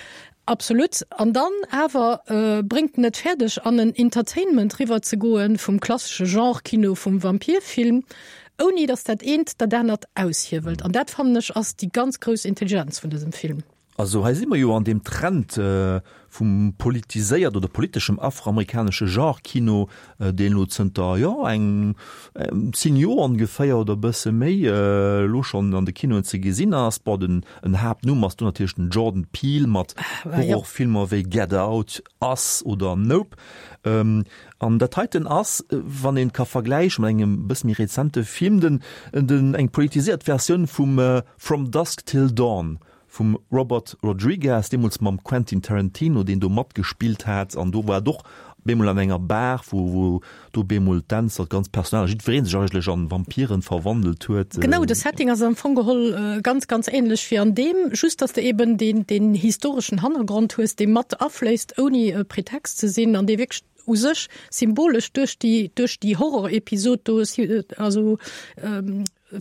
Speaker 3: Absolut. An dann awer bréngt en et fäerdeg, an en Entertainment riwwer ze goen vum klassesche Genre-Kino vum Vampirfilm, ouni datt dat eent dat anert aushiewelt. An dat, fannen ech, ass déi ganz grouss Intelligenz vun dësem Film.
Speaker 2: Also hei si mer jo an deem Trend vum politiséiert oder politeschem afroamerikanesche Genre-Kino, deen elo zënter, jo, eng zéng Joer ongeféier oder e bësse méi elo schonn an de Kinoen ze gesinn ass. Bon, den en Haaptnumm ass do natierlech den Jordan Peele mat Horrorfilmer wéi Get Out, Us oder Nope. An dat heiten ass, wann een et ka vergläichen mat engem bësse méi rezente Film, den, den, eng politiséiert Versioun vum From Dusk Till Dawn vum Robert Rodriguez, deemools mam Quentin Tarantino, deen do matgespillt hat. An do war et och bemol an enger Bar, wou, wou do bemol d'Dänzer, d'ganzt Personal a jiddweree sech eigentlech an Vampiren verwandelt huet.
Speaker 3: Genau, de Setting ass am Fong geholl ganz, ganz ähnlech wéi an deem, just dass de eben deen, deen historeschen Hannergrond hues, dee mat afléisst, ouni e Pretext ze sinn an dee wierklech u sech symbolesch duerch déi, duerch déi Horrorepisod do, also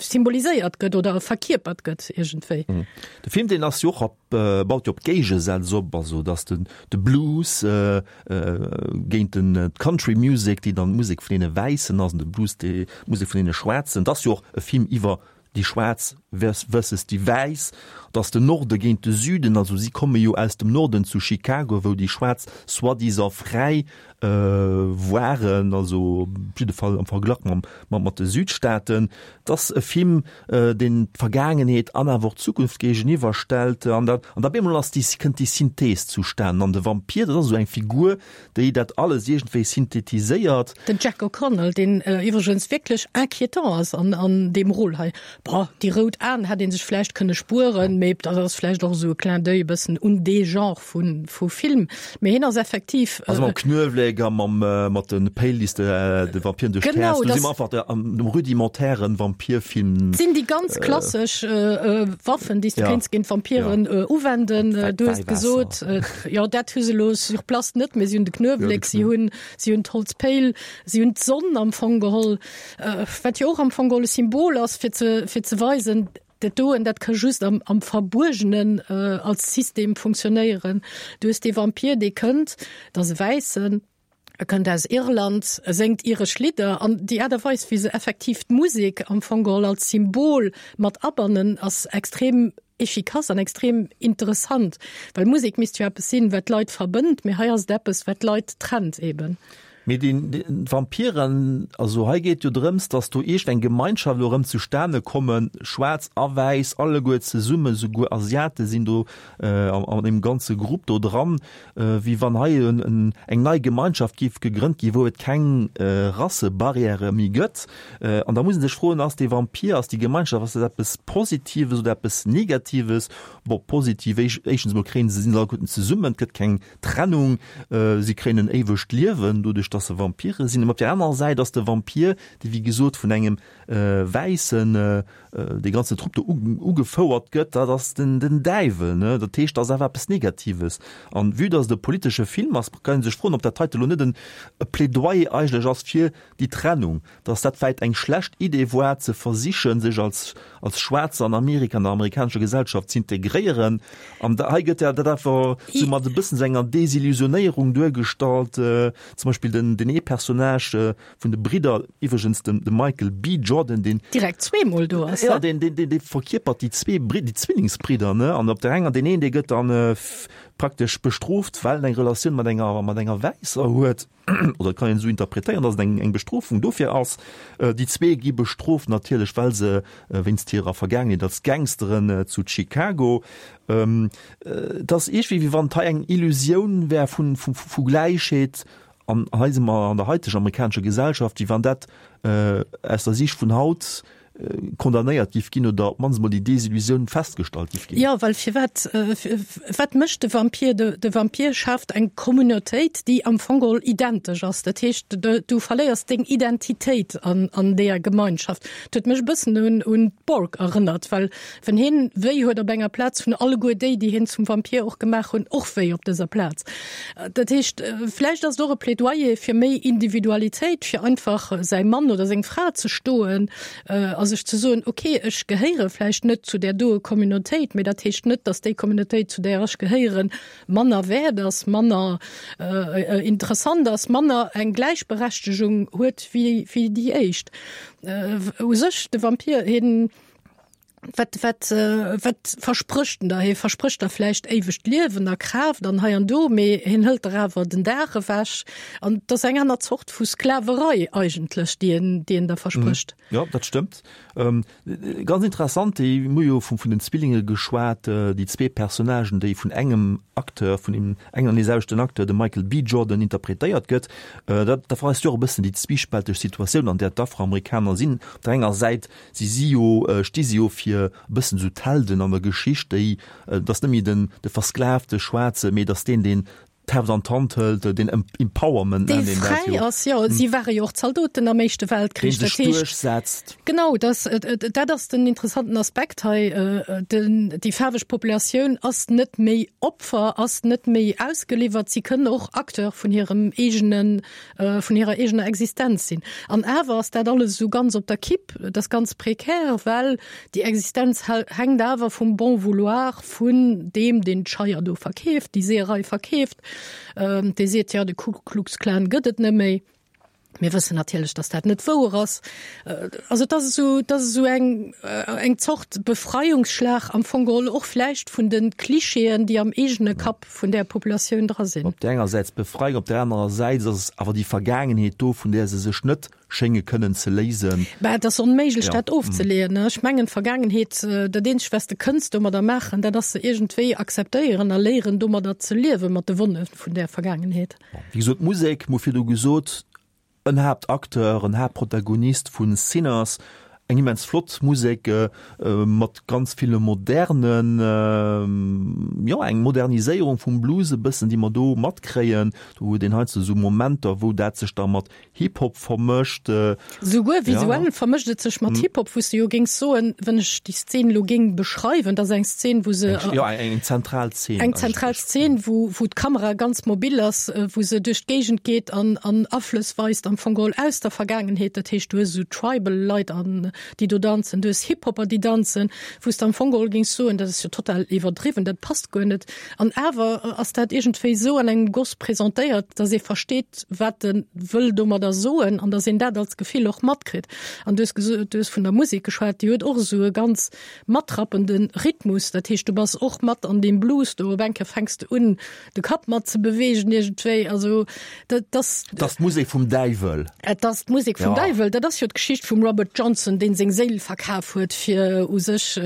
Speaker 3: symboliséiert gëtt oder verkierpert gëtt iergendwéi.
Speaker 2: De Film, deen ass jo och op, baut jo op Géigesätz op, also dass den de Blues géint den d'Country Music, déi dann d'Musek vun deene Wäissen ass, an de Blues déi Musek vun deene Schwaarzen. Et ass jo och e Film iwwer déi Schwaarz versus déi Wäiss, et ass den Norde géint de Süden, also si komme jo aus dem Norden zu Chicago, wou déi Schwaarz soi-disant fräi waren, also op jidde Fall am Verglach mam, mat de Südstaaten. Et ass e Film, deen d'Vergaangenheet an awer och d'Zukunft géigeniwwer stellt. An da, an da bemol ass déi, kënnt déi Synthees zustanen. An de Vampir, dat ass esou eng Figur, déi dat alles iergendwéi synthetiséiert.
Speaker 3: Den Jack O'Connell, deen iwwregens wierklech inquiétant ass an, an deem Rôle hei. Bon, déi rout Aen hätt ee sech vläicht kënne spueren, mee dat ass vläicht och esou e Clin d'oeil e bëssen un dee Genre vu, vu Film. Mee hien ass effektiv.
Speaker 2: Also mam Knuewléck a mam, mat de Péil, déi s de de Vampiren duerch d'Häerz. Do si mer einfach am rudimentären Vampirfilm.
Speaker 3: Et sinn déi ganz klassesch Waffen, déi s de kéints géint Vampiren uwenden. Du hues gesot, jo, dat hu se elo sur place net, mee si hunn de Knuewléck, si hunn, si hunn d'Holzpéil, si hunn d'Sonn am Fong geholl, wat jo och am Fong geholl e Symbol ass, fir ze, fir ze weisen, Dat doen, dat ka just am, am Verbuergenen als System funktionéieren. Du hues dee Vampir, dee kënnt, dat ass e Wäissen, e kënnt aus Irland, e séngt iresch Lidder an déi Aart a Weis, wéi se effektiv d'Musek am Fong geholl als Symbol mat abannen, ass extrem efficace an extrem interessant, well Musek misst jo eppes sinn, wat d'Leit verbënnt, mee hei ass et eppes, wat d'Leit trennt eben.
Speaker 2: Mee déi Vampiren, also hei geet jo drëms, datt do iergend eng Gemeinschaft elo erëm zustane kommen, schwaarz a wäiss, alleguer zesummen, souguer Asiate sinn do an deem ganze Grupp do dran, wéi wann hei eng nei Gemeinschaft géif gegrënnt ginn, wou et keng Rassebarrièrë méi gëtt. An da muss ee sech froen, ass dee Vampir, ass déi Gemeinschaft, ass dat eppes Positives oder eppes Negatives? Bon, positiv, éischtens emol kréien se, sinn se alleguerten zesummen, et gëtt keng Trennung, si kréien en éiwegt Liewen doduerch, dass se Vampire sinn. Op där anerer Säit ass de Vampir, dee wéi gesot vun engem Wäissen dee ganzen Trupp do ugefouert gëtt, dat ass den Däiwel, ne? Dat heescht, dat ass awer eppes Negatives. An vue dass et e politesche Film ass, kann ee sech froen, ob dat heite lo net e Plädoyer eigentlech ass fir déi Trennung, dass dat vläit eng schlecht Idee war, ze versichen, sech als als Schwaarzer an Amerika, an der amerikanescher Gesellschaft z'integréieren. An hei gëtt ja dat awer sou mat e bëssen sou enger Desillusionéierung duergestallt. Zum Beispill den den ee Personnage vun de Bridder, iwwregens den de Michael B. Jordan, deen
Speaker 3: direkt zweemol do ass,
Speaker 2: ja, deen deen deen dee verkierpert déi zwee Bridder, déi Zwillingsbridder, ne? An op der enger deen een, dee gëtt dann praktesch bestrooft, well en eng Relatioun mat enger mat enger Wäisser huet. Oder et kann een esou interpretéieren, datt et eng eng Bestrofung dofir ass. Déi zwee gi bestrooft natierlech, well se wéinst hirer Vergaangenheet als Gangsteren zu Chicago. Et ass iergendwéi, wéi wann et hei eng Illusioun wär vu vu vu Gläichheet. An hei si mer an der haiteger amerikanescher Gesellschaft, wéi wann dat aus der Siicht vun haut condamnéiert giff ginn oder op d'mannst emol déi Desillusioun festgestallt giff ginn.
Speaker 3: Jo, well firwat, wat mécht de Vampir? De Vampir schaaft eng Communautéit, déi am Fong geholl identesch ass. Dat heescht, du verléiers deng Identitéit an deeër Gemeinschaft. Dat huet mech e bëssen un d'Borg erënnert, well wann hien wéi huet op enger Plaz, hunn alleguer déi, déi hien zum Vampir och gemaach hunn, och wéi op dëser Plaz. Dat heescht, vläicht ass et och e Plädoyer fir méi Individualitéit, fir einfach säi Mann oder seng Fra ze stoen a sech ze soen, ok, ech gehéiere vläicht net zu där doe Communautéit, mee dat heescht net, datt déi Communautéit, zu där ech gehéieren, manner wäert ass, manner interessant ass, manner eng Gläichberechtegung huet wéi déi éischt. U sech, de Vampir, hien. Wat, wat, wat versprécht en der? Hie versprécht der vläicht éiwegt Liewen a Kraaft an hei an do, mee hien hëlt der awer den Dag ewech. An et ass eng aner Zort vu Sklaverei eigentlech, déi en, déi en der versprécht.
Speaker 2: Jo, dat stëmmt. Ganz interessant, déi, mir hu jo vun, vun den Zwillinge geschwat, déi zwee Personnagen, déi vun engem Acteur, vun deem engen an deeselwechten Acteur, dem Michael B. Jordan, interpretéiert gëtt. Dat, dat weist jo och e bëssen déi zwiispälteg Situatioun, an där d'Afroamerikaner sinn. Op der enger Säit Si si jo, sti si jo fir e bëssen esou d'Helden an der Geschicht, déi, et ass net méi den, de versklavte Schwaarze, mee et ass deen, deen d'Heft an d'Hand hëlt, deen Empowerment
Speaker 3: nennt een dat jo. Dee fräi ass, jo. Si ware jo och Zaldoten am Éischte Weltkrich.
Speaker 2: Dee sech duerchsetzt.
Speaker 3: Genau, dat, dat ass den interessanten Aspekt hei. Den, déi faarweg Populatioun ass net méi Opfer, ass net méi ausgeliwwert. Si kënnen och Acteur vun hirem eegenen, vun hirer eegener Existenz sinn. An awer ass dat alles esou ganz op der Kipp, et ass ganz prekär, well déi Existenz hänkt awer vum Bon vouloir vun deem, deen d'Scheier do verkeeft, déi Seeërei verkeeft, dee seet, jo, de Ku Klux Klan gëtt et net méi. Mir wëssen natierlech, datt dat net wouer ass. Also et ass esou, et ass esou eng, eng Zort Befreiungsschlag am Fong geholl och vläicht vun de Klischeeën, déi am eegene Kapp vun där Populatioun dra sinn.
Speaker 2: Op där enger Säits Befreiung, op där anerer Säits ass awer déi Vergaangenheet do, vun där se sech net schénge kënnen ze léisen.
Speaker 3: Bah, et ass onméiglech, dat ofzeleeën. Ech mengen, d'Vergaangenheet, dat eenzegt, wat s de kënns domadder maachen, dat ass se iergendwéi akzeptéieren a léieren, domadder ze liewen, mat de Wonne vun där Vergaangenheet.
Speaker 2: Wéi gesot, d'Musek, mir hu virdu gesot, en Haaptacteur, en Haaptprotagonist vu Sinners, eng immens flott Musek mat ganz ville modernen, jo eng Moderniséierung vum Blues e bëssen, déi mer do matkréien. Do huet een heiansdo esou Momenter, wou dat sech da mat Hip-Hop vermëscht.
Speaker 3: Souguer visuell vermëscht et sech mat Hip-Hop, wou s de jo géings soen, wann ech déi Szen elo géing beschreiwen, dat ass eng Szen, wou se.
Speaker 2: Jo, eng zentral Szen.
Speaker 3: Eng zentral Szen, wou, wou d'Kamera ganz mobil ass, wou se duerch d'Géigend geet an, an Aflëss weist am Fong geholl aus der Vergaangenheet. Dat heescht, du hues esou Tribal-Leit an déi do danzen, du hues Hip-Hopper, déi danzen, wou s de am Fong geholl géings soen, dat ass jo total iwwerdriwwen, dat passt guer net. An awer ass dat iergendwéi esou an engem Goss presentéiert, dass ee versteet, wat e wëll domadder soen an dass een dat als Gefill och matkritt. An du hues geso, du hues vun der Musek geschwat, déi huet och esou e ganz matrappende Rhythmus, dat heescht, du bass och mat an deem Blues do, op eng Kéier fänks de un, de Kapp mat ze beweegen iergendwéi, also dat ass.
Speaker 2: Et ass d'Musek vum Däiwel.
Speaker 3: Et ass d'Musek vum Däiwel. Dat ass jo d'Geschicht vum Robert Johnson, deen seng Séil verkaf huet, fir u sech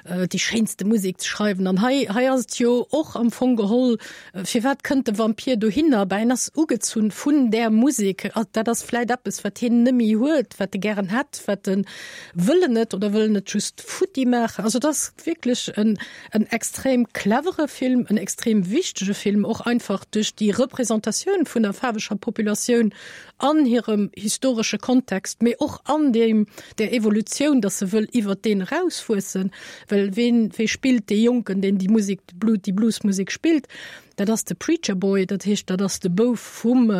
Speaker 3: déi schéinste Musek ze schreiwen. An hei, hei ass et jo och am Fong geholl, firwat kënnt de Vampir dohinner? Bah, en ass ugezunn vun där Musek. Dat ass vläit eppes, wat hien nëmmi huet, wat e gären hätt, wat en wëll en net oder wëll en et just futti maachen. Also et ass wierklech en, en extrem clevere Film, en extrem wichtege Film, och einfach duerch déi Representatioun vun der faarweger Populatioun an hirem historesche Kontext, mee och an deem, där Evolutioun, dass se wëll iwwert deen erauswuessen, well ween, wee spillt dee Jonken, deen déi Musek, déi Bluesmusek spillt? Dat ass de Preacher Boy, dat heescht, dat ass de Bouf vum,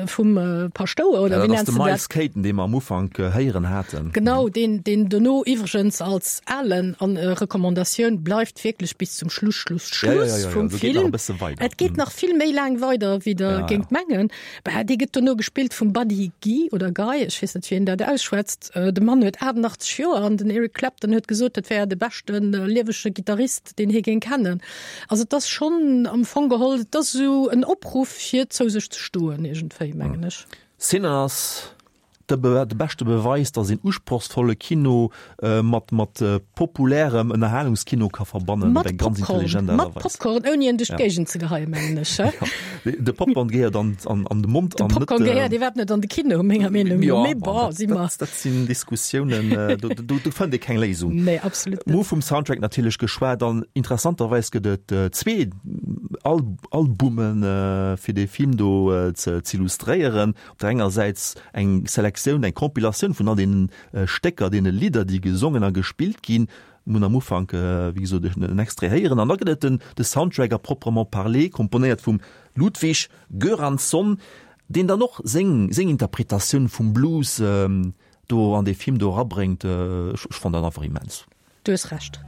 Speaker 3: vum Paschtouer, oder
Speaker 2: wéi nenns de dat? Dat ass de Miles Kayton, dee mer am Ufank héieren haten.
Speaker 3: Genau, deen, deen dono iwwregens als Alen, an Recommandatioun, bleift wierklech bis zum Schluss, Schluss, Schluss vum Film. Et geet nach vill méi laang weider, wéi Der géingt mengen. Bah, dee gëtt dono gespillt vum Buddy Guy oder Guy, ech weess net, wéi een dat ausschwätzt. De Mann huet aachtendachtzeg Joer an den Eric Clapton huet gesot, dat wär de beschte liewege Gittarist, deen hie géing kennen. Also et ass schonn am Fong geholl, et ass esou en Opruff fir zou sech ze stoen iergendwéi, mengen ech.
Speaker 2: Sinners, de beschte Beweis, datt een usprochsvolle Kino mat mat populärem Ënnerhalungskino ka verbannen op eng ganz intelligent Aart a
Speaker 3: Weis. Mat Popcorn, ouni en duerch d'Géigend ze geheien, mengen ech.
Speaker 2: De Popcorn gehéiert an an de Mond
Speaker 3: an net. De Popcorn gehéiert iwwerhaapt net an de Kino, menger Meenung no. Mee bon, si mer.
Speaker 2: Dat sinn Diskussiounen, do do fënnt ee keng Léisung.
Speaker 3: Nee, absolut net.
Speaker 2: Mir hu vum Soundtrack natierlech geschwat an interessanterweis gëtt et zwee Albumen, fir dee Film do ze z'illustréieren. Op der enger Säits eng Selektioun, eng Compilatioun vun all deenen Stécker, deene Lidder, déi gesongen a gespillt ginn. Mir hunn am Ufank, wéi gesot, en Extrait héieren. An da gëtt et den de Soundtrack à proprement parler, komponéiert vum Ludwig Göransson, deen dann och seng seng Interpretatioun vum Blues do an dee Film do erabréngt. Ech fannen dat einfach immens.
Speaker 3: Du hues Recht.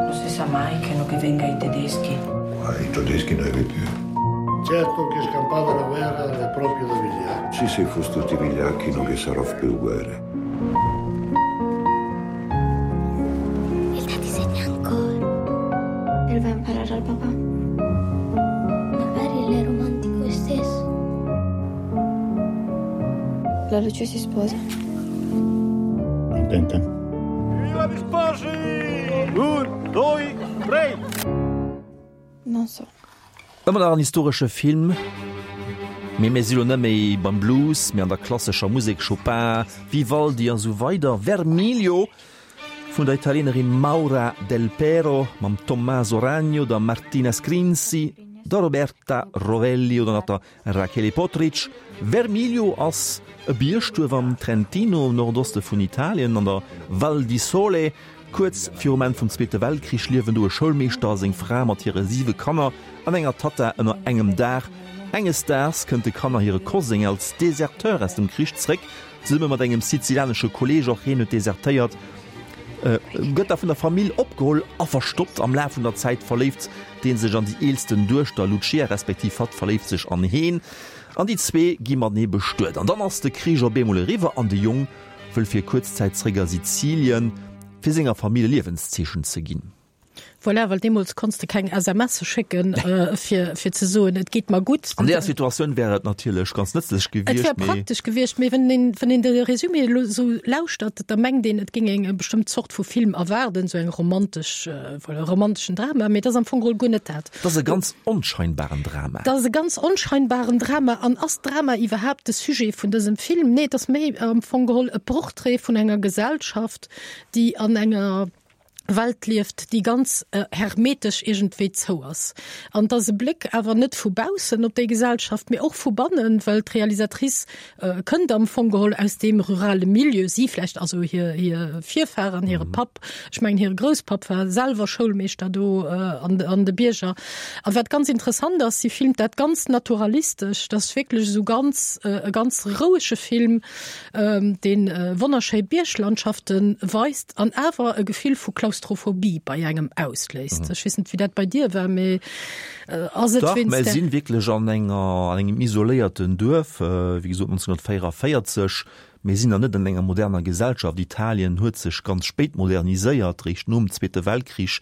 Speaker 7: Non si sa mai che no che venga i tedeschi.
Speaker 8: Ma i tedeschi non è più.
Speaker 6: Certo che scampava la guerra è proprio da vigliacchi.
Speaker 8: Sì, sì, fu tutti vigliacchi non che sarò più guerra.
Speaker 9: Voleva imparare al papà. Magari l'è romantico stesso. La luce si sposa.
Speaker 8: Contenta?
Speaker 4: Viva gli sposi! Un, due, tre!
Speaker 9: Non so.
Speaker 2: Ëmmer nach en historesche Film, mee mir si lo net méi beim Blues, mee an der klassescher Musek, Chopin, Vivaldi a sou weider. Vermiglio vun der Italienerin Maura Delpero mam Tommaso Ragno, der Martina Scrinzi, der Roberta Rovelli oder nach der Rachele Potrich. Vermiglio ass e Biergduerf am Trentino, am Nordoste vun Italien, an der Val di Sole. Kuerz virum Enn vum Zweete Weltkrich liewen do e Schoulmeeschter a seng Fra mat hire siwe Kanner an enger Tatta ënner engem Daach. Enges Daags kënnt de Kanner hire Koseng als Deserteur aus dem Krich zréck, zesumme mat engem sizilianesche Kolleeg, och hien huet desertéiert, gëtt da vun der Famill opgeholl a verstoppt. Am Laf vun der Zäit verléift dee sech an déi eelsten Duechter Lucia, respektiv hatt verléift sech an heen an déi zwee gi matenee bestuet. An dann ass de Krich op eemol eriwwer an de Jong wëll fir kuerz Zäit zréck a Sizilien, fir senger Famill e Liewenszeechen ze ginn.
Speaker 3: Voilà, well deemools konns de keng S M Sse schécken, fir fir ze soen, et geet mer gutt.
Speaker 2: An deeër Situatioun wär et natierlech ganz nëtzlech
Speaker 3: Et wär
Speaker 2: gewiescht, mee.
Speaker 3: praktesch gewiescht, mee wann een, wann een de Resumé elo esou lauschtert, da mengt een, et géing een eng bestëmmt Zort vu Film erwaarden, esou eng romantesch, voilà, e romanteschen Drama, mee et ass am Fong geholl guer net dat.
Speaker 2: Et ass e ganz onscheinbaren Drama.
Speaker 3: Et ass e ganz onscheinbaren Drama. An ass Drama iwwerhaapt de Sujet vun dësem Film? Nee, et ass méi am Fong geholl e Portrait vun enger Gesellschaft, déi an enger Welt lieft, déi ganz hermetesch iergendwéi zou ass. An et ass e Bléck awer net vu baussen op déi Gesellschaft, mee och vu bannen, well d'Realisatrice kënnt am Fong geholl aus deem rurale Milieu, si vläicht, also hir, hir Virfahren, hire Papp, ech mengen hire Grousspapp war selwer Schoulmeeschter do an, an de Bierger. A wat ganz interessant ass, si filmt dat ganz naturalistesch, dat ass wierklech esou ganz, e ganz rouege Film, dee wonnerschéi Bierglandschafte weist an awer e Gefill vu Klaustrophobie bei engem ausléist. Ech weess net, wéi dat bei dir war, mee ass et
Speaker 2: Dach,
Speaker 3: wéinst
Speaker 2: mer
Speaker 3: der.
Speaker 2: sinn wierklech an enger, an engem isoléierten Duerf, wéi gesot neunzehnhunnertvéierunddräisseg. Mir sinn nach net an enger moderner Gesellschaft. Italien huet sech ganz spéit moderniséiert, réischt nom Zweete Weltkrich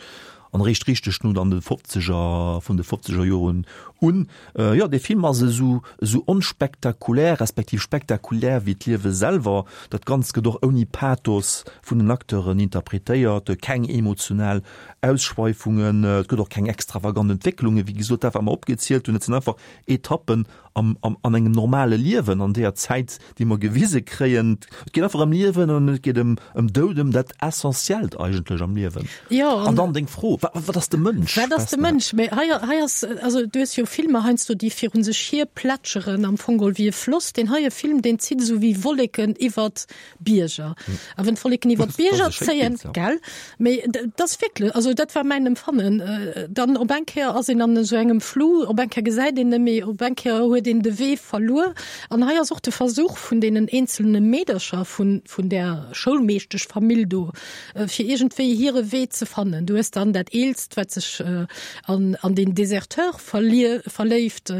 Speaker 2: an réischt richteg nun an de Fofzeger, vun de fofzeger Joren un. Jo, dee Film ass esou, esou onspektakulär, respektiv spektakulär wéi d'Liewe selwer. Dat Ganzt gëtt och ouni Pathos vun den Acteuren interpretéiert, keng emotional Ausschweifungen, et gëtt och keng extravagant Entwécklungen, wéi gesot, dat wat mer opgezielt hunn, et sinn einfach Etappen am, am, an engem normale Liewen an deeër Zäit, déi mer gewise kréien. Et geet einfach ëm Liewen an et geet ëm, ëm Doud, ëm dat Essentiellt eigentlech am Liewen.
Speaker 3: Jo,
Speaker 2: An dann deng Fro, Wa, wat ass de Mënsch?
Speaker 3: Wat ass de Mënsch? Mee hei, hei ass, also du hues jo Filmer heiansdo, déi virun sech hier plätscheren, am Fong geholl wéi e Floss. Deen heie Film, deen zitt esou wéi Wolleken iwwert Bierger. A wann d'Wolleken iwwert d'Bierger zéien, gell? Mee dat ass wierklech, also dat war mäin Empfannen, dann op eng Kéier ass een an esou engem Flou, op eng Kéier gesäit een net méi, op eng Kéier huet een de Wee verluer. An hei ass och de Versuch vun deenen eenzelne Meedercher vun, vun där Schoulmeeschteschfamill do, fir iergendwéi hire Wee ze fannen. Du hues dann dat Eelst, wat sech an, an den Deserteur verlier, verléift.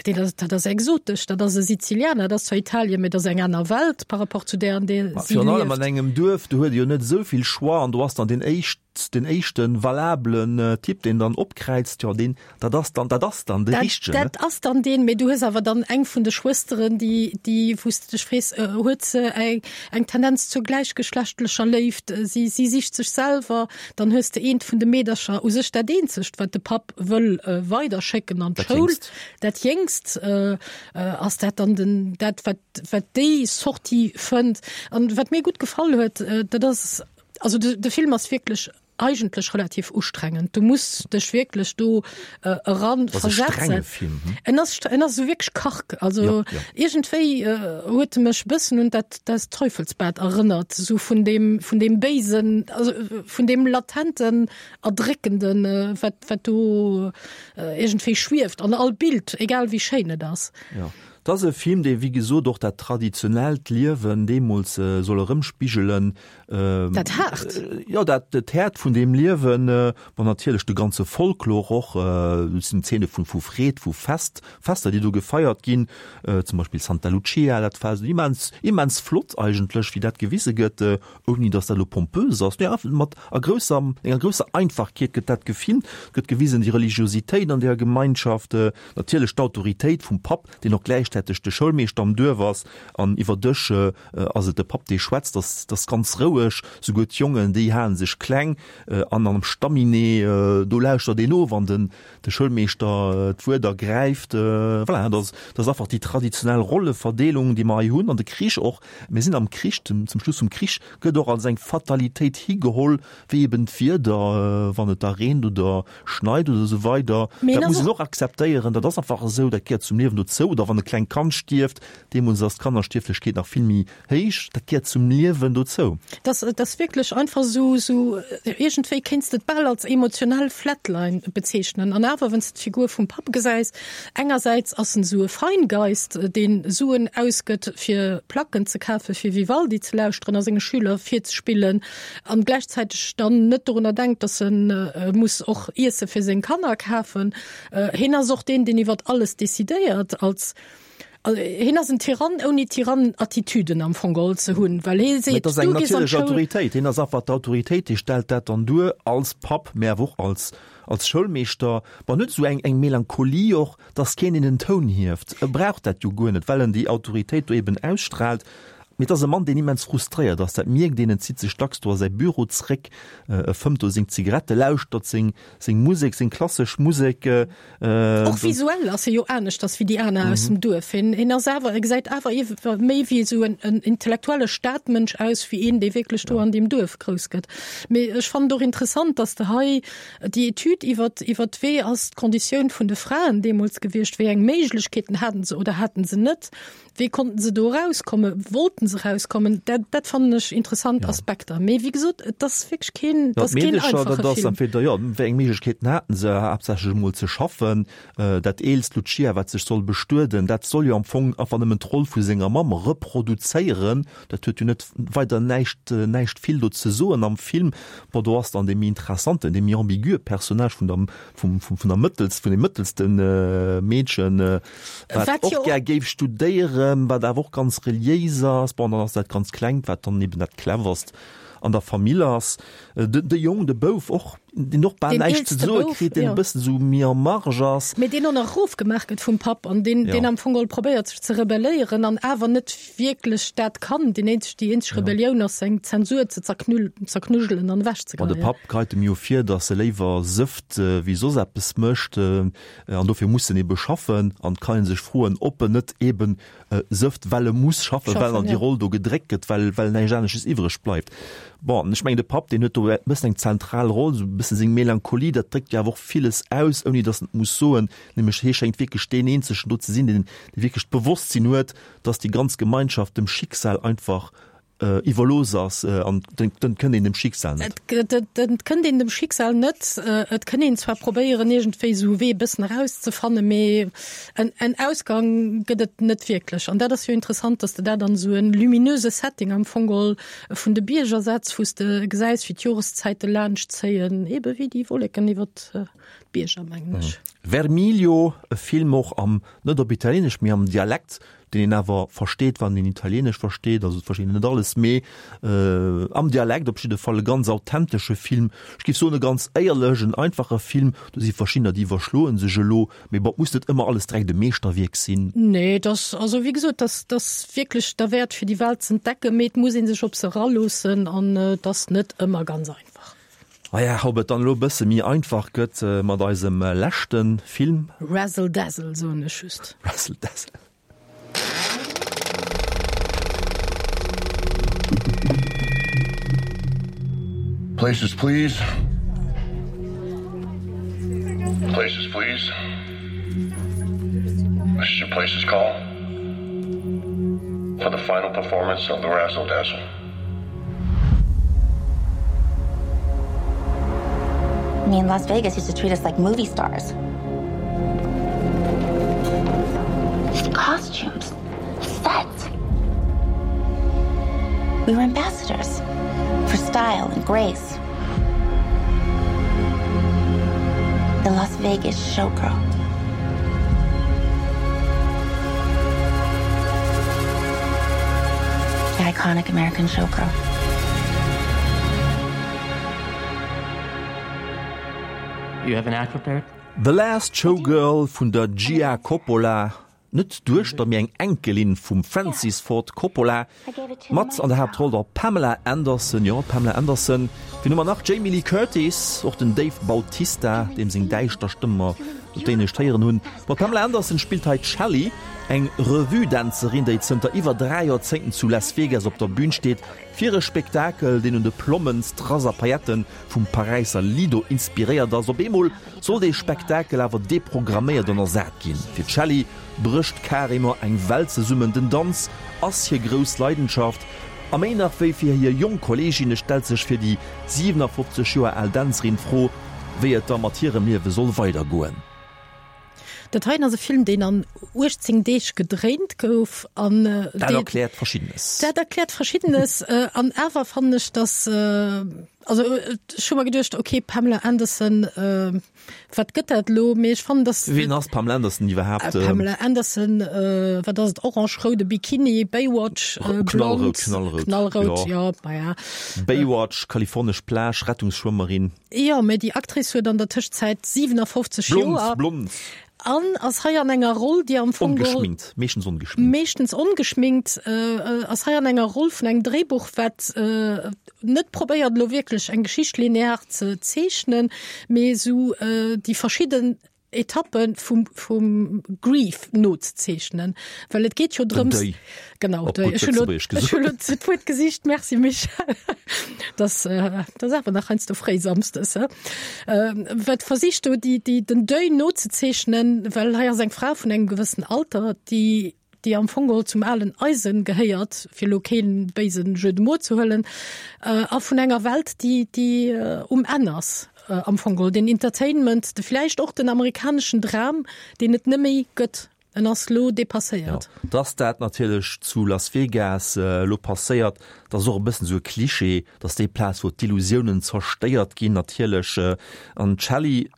Speaker 3: Deen ass, dat ass exotesch, dat ass e Sizilianer, dat ass zwar Italien, mee dat ass eng aner Welt par rapport zu där, an där
Speaker 2: Ma
Speaker 3: si
Speaker 2: virun allem
Speaker 3: lieft.
Speaker 2: an engem Duerf, do huet ee jo net esou vill Choix an do ass dann deen éischt, den éischten valablen Typ, deen dann opkräizt, jo deen, dat ass dann, dat ass dann de
Speaker 3: Dat,
Speaker 2: richtegen, ne?
Speaker 3: dat ass dann deen, mee du hues awer dann eng vun de Schwësteren, déi, déi, wou s de dech frees, huet se eng, eng Tendenz zur gläichgeschlechtlecher Léift, si, si sicht sech selwer, dann hues de eent vun de Meedercher, u sech dat eenzegt, wat de Papp wëll weiderschécken an
Speaker 2: Dat
Speaker 3: d'Schoul,
Speaker 2: Jéngst.
Speaker 3: dat Jéngst, ass dat dann den, dat, wat, wat déi Sortie fënnt. An wat mir gutt gefall huet, dat ass, also de, de Film ass wierklech eigentlech relativ ustrengend. Du muss dech wierklech do äh, eran
Speaker 2: Das ass e strenge
Speaker 3: versetzen.
Speaker 2: Film, hm?
Speaker 3: En ass, en ass esou wierklech karg. Also
Speaker 2: Ja, ja.
Speaker 3: iergendwéi äh, huet e mech bëssen un dat das Teufelsbad erënnert, sou vun deem, vun deem Béisen, also vun deem latenten, erdréckenden, äh, wat, wat do äh, iergendwéi schwieft an all Bild, egal wéi schéin et ass.
Speaker 2: Ja. Et ass e Film, dee wéi gesot och dat traditionellt Liewen deemools soll erëmspigelen.
Speaker 3: Dat Haart.
Speaker 2: Jo, dat dat Haart vun deem Liewen, bon natierlech de ganze Folklor och, et sinn Zeene vu vu Freed, vu Fest, Fester, déi do gefeiert ginn, zum Beispill Santa Lucia, dat war immens, immens flott eigentlech, wéi dat gewise gëtt, ouni datt dat elo pompös ass, nee einfach mat a grousser, enger grousser Einfachkeet gëtt dat gefilmt, gëtt gewisen déi Religiositéit an deeër Gemeinschaft, natierlech d'Autoritéit vum Papp, deen och gläichzäiteg de Schoulmeeschter am Duerf ass, an iwwer Dësch ass et de Papp, dee schwätzt, ass ass ganz roueg, souguer d'Jongen, déi halen sech kleng, an am Stamminee, do lauschtert een of, wann den de Schoulmeeschter d'Wuert ergräift. Voilà, dat ass dat ass einfach déi traditionell Rolleverdeelung, déi mer hei hunn, an de Krich och, mir sinn am Krich, zum Schluss vum Krich gëtt och als eng Fatalitéit higeholl, wéi eben d'Wieder, wann et da reent oder schneit oder esou weider. Dat muss een och akzeptéieren, dat ass einfach esou, dat gehéiert zum Liewen dozou. Oder wann e klengt Kand stierft, deemools ass d'Kannerstierflechkeet nach vill méi héich, dat gehéiert zum Liewen dozou.
Speaker 3: Dat ass wierklech einfach esou, esou iergendwéi kéints de et bal als emotional Flatline bezeechnen. An awer, wann s de d'Figur vum Papp gesäis, engersäits ass en esou e Feingeist, deen Suen ausgëtt fir Placken ze kafen, fir Vivaldi ze lauschteren a senge Schüler virzespillen, an gläichzäiteg dann net dorunner denkt, dass en muss och Iesse fir seng Kanner kafen. Hien ass och deen, deen iwwert alles decidéiert, als hien ass en Tyrann ouni Tyrannenattitüden am Fong geholl ze hunn, well hie
Speaker 2: seet, du gees an d'Schoul. Mee et ass eng natierlech Autoritéit. Hien ass einfach d'Autoritéit, hie stellt dat dann duer als Papp, mä awer och als, als Schoulmeeschter. Bon, en huet esou eng, eng Melancholie och, dass keen een den Toun hieft. E brauch dat jo guer net, well en déi Autoritéit do eben ausstrahlt. Mee et ass e Mann, deen immens frustréiert ass, dat mierkt een. En zitt sech dacks do a säi Büro zréck, e fëmmt do seng Zigarette, lauschtert seng, seng Musek, seng klassesch Musek.
Speaker 3: Och visuell ass e jo aneschters wéi déi aner aus dem Duerf. Hien, hien ass awer, e gesäit awer iewer méi wéi esou en, en intellektuelle Stadmënsch aus, wéi een, dee wierklech do an deem Duerf grouss gëtt. Mee ech fannen et och interessant, dass de hei déi Etüd iwwert, iwwert wéi ass d'Konditioun vun de Fraen deemools gewiescht, wéi eng Méiglechkeeten haten se oder haten se net, Wéi konnten se do erauskommen? Wollten se erauskommen? Dat, dat fannen ech interessant ja. Aspekter. Mee wéi gesot, et ass wierklech keen,
Speaker 2: ja, ass keen einfache dat ass entweder, ja, wéi eng Méiglechkeeten haten se, haaptsächlech emol ze schaffen. Äh, dat eelst Lucia, wat sech soll bestueden, dat soll jo am Fong einfach nëmmen d'Roll vu senger Mamm reproduzéieren. Dat huet jo net weider näischt, äh, näischt vill do ze soen am Film. Bon, do ass dann dee méi interessanten, dee méi ambigue Personnage vun der, vum, vum, vun der mëttelst, vun dem mëttelsten äh, Meedchen, äh, wat och gär géif studéieren, wat awer och ganz reliéis ass. Bon, dann ass dat ganz Klengt, wat dann eben dat Cleverst an der Famill ass. De, de Jong, de Bouf och, deen och bal näischt ze soe kritt, deen e bëssen esou méi en marge ass.
Speaker 3: Mee deen och nach erofgemaach gëtt vum Papp an deen, deen am Fong geholl probéiert sech ze rebelléieren an awer net wierklech dat kann. Deen eenzeg, déi eenzeg Rebellioun ass seng Zensur ze zerknüll, zerknujelen an
Speaker 2: ewechzegeheien. Bon, de Papp geheit em jo vir, datt e léiwer sëfft wéi soss eppes mécht. An dofir muss en ebe schaffen. An et kann ee sech froen, ob en net eben sëfft, well e muss schaffen, well en an déi Roll do gedréckt gëtt, well, well näischt anesches iwwreg bleift. Bon, ech mengen, de Papp, deen huet do e bëssen eng zentral Roll, esou e bësse seng Melancholie, dat dréckt jo awer och villes aus, ouni datt en et muss soen. Nämlech hie schéngt wierklech deen eenzegen do ze sinn, deen, dee wierklech d'Bewosstsinn huet, datt déi ganz Gemeinschaft dem Schicksal einfach iwwerlooss ass an et kënnt een dem Schicksal
Speaker 3: net. Et kënnt een dem Schicksal net. Et kënn een zwar probéieren iergendwéi esou e Wee e bëssen erauszefannen, mee en, en Ausgang gëtt et net wierklech. An dat ass jo interessant, datt s de dat an esou e luminöse Setting am Fong geholl vun de Bierger setz, wou s de gesäis, wéi d'Joreszäite laanscht zéien, ebe wéi déi Wolleken iwwert d'Bierger, mengen ech.
Speaker 2: Vermiglio, e Film och am, net op Italieenesch, mee am Dialekt, deen een awer versteet, wann een Italieenesch versteet, also et versteet een net alles, mee am Dialekt op jidde Fall e ganz authentesche Film, ech géif soen e ganz éierlech, en einfache Film. Do si verschiddener, déi iwwerschloe sech elo, mee bon, et muss net ëmmer alles direkt e Meeschterwierk sinn.
Speaker 3: Nee, et ass, also wéi gesot, et ass, et ass wierklech derwäert fir déi Welt z'entdecken, mee et muss ee sech op se eraloossen an et ass net ëmmer ganz einfach.
Speaker 2: Maja, ob et dann elo e bësse méi einfach gëtt mat eisem leschte Film.
Speaker 3: Razzle Dazzle soen ech just.
Speaker 2: Razzle Dazzle.
Speaker 8: Places please. Places please. This is your places call for the final performance of the Razzle Dazzle.
Speaker 9: I mean, Las Vegas used to treat us like movie stars. These costumes Costumes, sets. We were ambassadors for style and grace. The Las Vegas showgirl. The iconic American showgirl.
Speaker 10: You have an act prepared?
Speaker 2: The Last Showgirl vun der Gia Coppola, net d'Duechter, mee eng Enkelin vum Francis Ford Coppola, mat an der Haaptroll der Pamela Anderson, jo, d'Pamela Anderson, wien hu mer nach, Jamie Lee Curtis, och den Dave Bautista, deem seng däischter Stëmm mer op Dänesch héieren hunn. Ma d'Pamela Anderson spillt hei d'Shelley, eng Revue-Dänzerin, déi zënter iwwer dräi Joerzéngten zu Las Vegas op der Bün steet, fir e Spektakel, deen un de Plommen, Strass a Pailletten vum Paräisser Lido inspiréiert ass. Op eemol soll dee Spektakel awer deprogramméiert an ersat ginn. Fir d'Shelley brécht carrément eng Welt zesummen. Den Danz ass hir grouss Leidenschaft a méi nach wéi fir hir jonk Kolleeginne stellt sech fir déi siwenafofzeg Joer al Dänzerin d'Fro, wéi et da mat hirem Liewe soll weidergoen.
Speaker 3: Dat heien ass e Film, deen an uechtzéng Deeg gedréint gouf an
Speaker 2: Dat erkläert Verschiddenes.
Speaker 3: Dat erkläert Verschiddenes an awer fannen ech, dass, also ech hu mer geduecht, okay, Pamela Anderson, wat gëtt dat elo? Mee ech fannen, dass.
Speaker 2: Wien ass d'Pamela Anderson iwwerhaapt?
Speaker 3: Pamela Anderson, wat ass et, orange-roude Bikini, Baywatch, blond.
Speaker 2: Knallrout, knallrout.
Speaker 3: Knallrout, jo, maja.
Speaker 2: Baywatch, kalifornesch Plage, Rettungsschwëmmerin.
Speaker 3: Jo, mee déi Actrice huet an der Tëschenzäit siwenafofzeg Joer.
Speaker 2: Blond, blond.
Speaker 3: An ass hei an enger Roll, déi am Fong geholl.
Speaker 2: Ongeschminkt, meeschtens ongeschminkt.
Speaker 3: Meeschtens ongeschminkt, ass hei an enger Roll vun engem Dréibuch, wat net probéiert elo wierklech eng Geschicht linear ze zeechnen, mee esou déi verschidden Etappe vum, vum Grief nozezeechnen. Well et geet jo drëms.
Speaker 2: Den Deuil.
Speaker 3: Genau,
Speaker 2: Op
Speaker 3: Deuil.
Speaker 2: gutt
Speaker 3: Ech hunn elo,
Speaker 2: Lëtzebuergesch
Speaker 3: ech hunn
Speaker 2: gesot.
Speaker 3: elo d'Wuert gesicht. Merci, Michel. Das, das awer nach heiansdo fréi samsdes, he? Wat versicht do déi, déi, den Deuil nozezeechnen, well hei ass eng Fra vun engem gewëssen Alter, déi, déi am Fong geholl zum alen Eisen gehéiert, fir elo keen béisen Jeu de mots ze huelen, a vun enger Welt, déi, déi um Enn ass am Fong geholl. Den Entertainment, de vläicht och den amerikaneschen Dram, deen et neméi gëtt. En ass lo dépasséiert.
Speaker 2: Jo, dass dat natierlech zu Las Vegas elo passéiert, dat ass och e bëssen esou e Klischee, dass déi Plaz, wou d'Illusiounen zerstéiert ginn, natierlech. An d'Shelley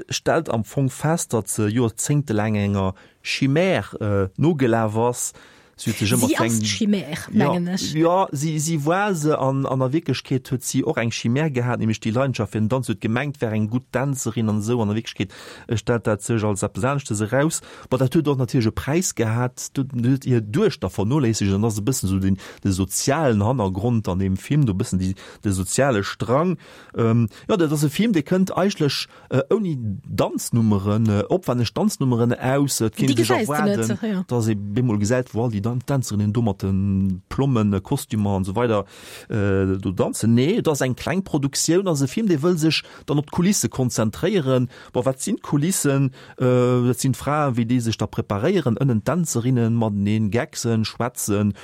Speaker 2: stellt am Fong fest, datt se joerzéngtelaang enger Chimère nogelaf ass. Si huet sech ëmmer
Speaker 3: Si ass
Speaker 2: eng
Speaker 3: d'Chimère, mengen ech.
Speaker 2: Jo, si, si war se. An an der Wierklechkeet huet si och eng Chimère gehat, nämlech déi Leidenschaft fir den Danz. Si huet gemengt, wär eng gutt Dänzerin an esou. An der Wierklechkeet stellt dat sech als eppes aneschtes eraus. Bon, dat huet och natierlech e Präis gehat. Dat huet hir Duechter vernoléissegt. An dat ass e bëssen esou den, de sozialen Hannergrond an deem Film, do e bëssen déi, de soziale Strang. Jo, dat ass e Film, dee kënnt eigentlech ouni Danznummeren, opwänneg Danznummeren aus. Et kéint ee sech erwaarden, dass ee bemol gesäit, wou all déi Dänzerinnen do mat de Plommen, Kostümer an esou weider do danzen. Nee, et ass eng kleng Produktioun, ass e Film, dee wëll sech dann op d'Kulisse konzentréieren. Bon, wat sinn d'Kulissen? Dat sinn d'Fraen, wéi déi sech da preparéieren, ënnen d'Dänzerinnen mateneen gecksen, schwätzen.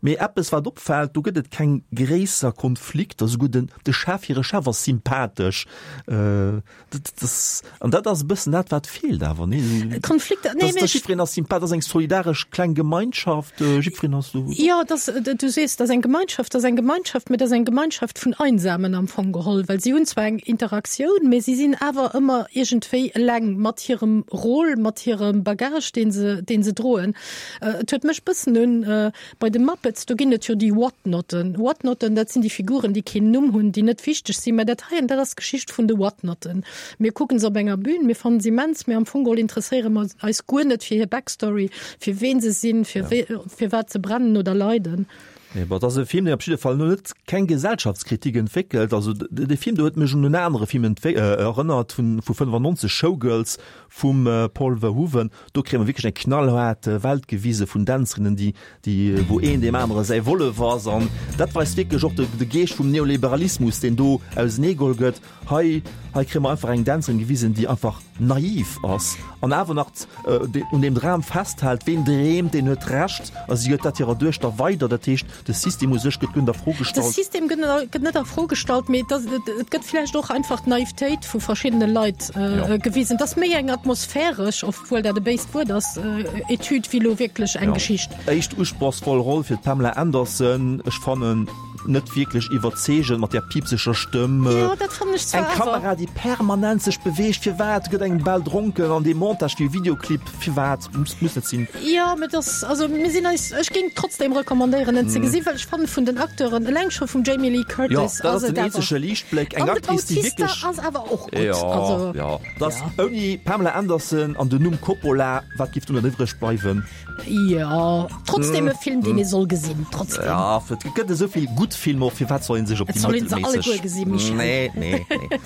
Speaker 2: Mee eppes wat opfält, do gëtt et keng gréisser Konflikter, souguer den de Chef, hire Chef ass sympathesch. Dat ass, an dat ass e bëssen dat wat feelt awer, nee?
Speaker 3: Konflikter, nee,
Speaker 2: Dass, dass jiddwereen ass sympathesch, dat ass eng solidaresch kleng Gemeinschaft, jiddwereen ass do.
Speaker 3: Jo, dass, du sees, dat ass eng Gemeinschaft, dat ass eng Gemeinschaft, mee dat ass eng Gemeinschaft vun Einsamen am Fong geholl, well si hunn zwar eng Interaktioun, mee si sinn awer ëmmer iergendwéi eleng mat hirem Rôle, mat hirem Bagage, dee se, dee se droen. Et huet mech bëssen un Bei de Muppets, do ginn et jo déi Whatnotten. Whatnotten, dat sinn déi Figuren, déi keen Numm hunn, déi net wichteg sinn. Mä dat heien, dat ass d'Geschicht vun de Whatnotten. Mir kucken se op enger Bühn, mir fannen se immens, mä am Fong geholl interesséiere mer eis guer net fir hir Backstory, fir ween se sinn, fir wee, fir wat se brennen oder leiden.
Speaker 2: Nee, bon, et ass e Film, deen op jidde Fall net keng Gesellschaftskritik entwéckelt. Also dee Film do huet mech un en anere Film erënnert vun vu fënnefannonzeg, Showgirls vum Paul Verhoeven. Do kréie mer wierklech eng knallhaart Welt gewise vun Dänzerinnen, déi, déi, wou een deem anere säi Wollef ass. An dat weist wierklech och de, de Geescht vum Neoliberalismus, deen do auseneegeholl gëtt. Hei, hei kréie mer einfach eng Dänzerin gewisen, déi einfach naiv ass an awer nach un deem Dram festhält. Ween dreemt, deen huet Recht. A si gëtt dat hirer Duechter weider. Dat heescht, De System u sech gëtt guer net a Fro
Speaker 3: De
Speaker 2: gestallt.
Speaker 3: System gëtt net, gëtt net a Fro gestallt, mee et ass, et, et gëtt vläicht och einfach d'Naivetéit vu verschiddene Leit äh, gewisen. Et ass méi eng atmosphäresch, obwuel dat e béist Wuert ass, äh, Etüd wéi lo wierklech eng
Speaker 2: Ja.
Speaker 3: Geschicht.
Speaker 2: Éischt usprochsvoll Roll fir d'Pamela Anderson, ech fannen net wierklech iwwerzeegend mat där piipseger Stëmm.
Speaker 3: Jo, dat fannen ech zwar
Speaker 2: Eng
Speaker 3: awer.
Speaker 2: Kamera, déi permanent sech beweegt, firwat? Gëtt engem bal dronken an dee Montage wéi e Videoclip, firwat? Muss, muss net sinn.
Speaker 3: Jo, mee dass, also mir sinn eis, ech géing trotzdem recommandéieren en ze
Speaker 2: Mm.
Speaker 3: gesinn, well ech fannen vun den Acteuren, eleng scho vum Jamie Lee
Speaker 2: Jo,
Speaker 3: Curtis
Speaker 2: dat ass
Speaker 3: ass et
Speaker 2: den
Speaker 3: awer.
Speaker 2: eenzege Liichtbléck, eng
Speaker 3: An de
Speaker 2: Actrice, déi
Speaker 3: Bautista
Speaker 2: wierklech.
Speaker 3: ass awer och gutt,
Speaker 2: Jo,
Speaker 3: also.
Speaker 2: jo, dass ouni Pamela Anderson an den Numm Coppola, wat giff dunn iwwreg bleiwen?
Speaker 3: Jo, trotzdem
Speaker 2: Mm.
Speaker 3: e Film, deen ee soll gesinn, trotzdem.
Speaker 2: Ja, et gëtt esou vill gutt Filmer, firwat soll een sech op
Speaker 3: Et
Speaker 2: déi
Speaker 3: soll een se
Speaker 2: mëttelméisseg.
Speaker 3: alleguer gesinn, Michel.
Speaker 2: Nee, nee, nee.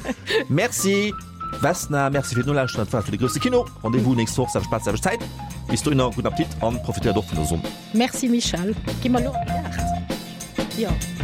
Speaker 2: Merci Vesna, merci fir d'Nolauschteren. Dat war et fir de grousse Kino. Rendez-vous nächst Woch, selwecht Plaz, selwecht Zäit. Bis dohinner, gudden Appetit an profitéiert och vun der Sonn.
Speaker 3: Merci Michel. Gi mer elo an de Gaart? Jo.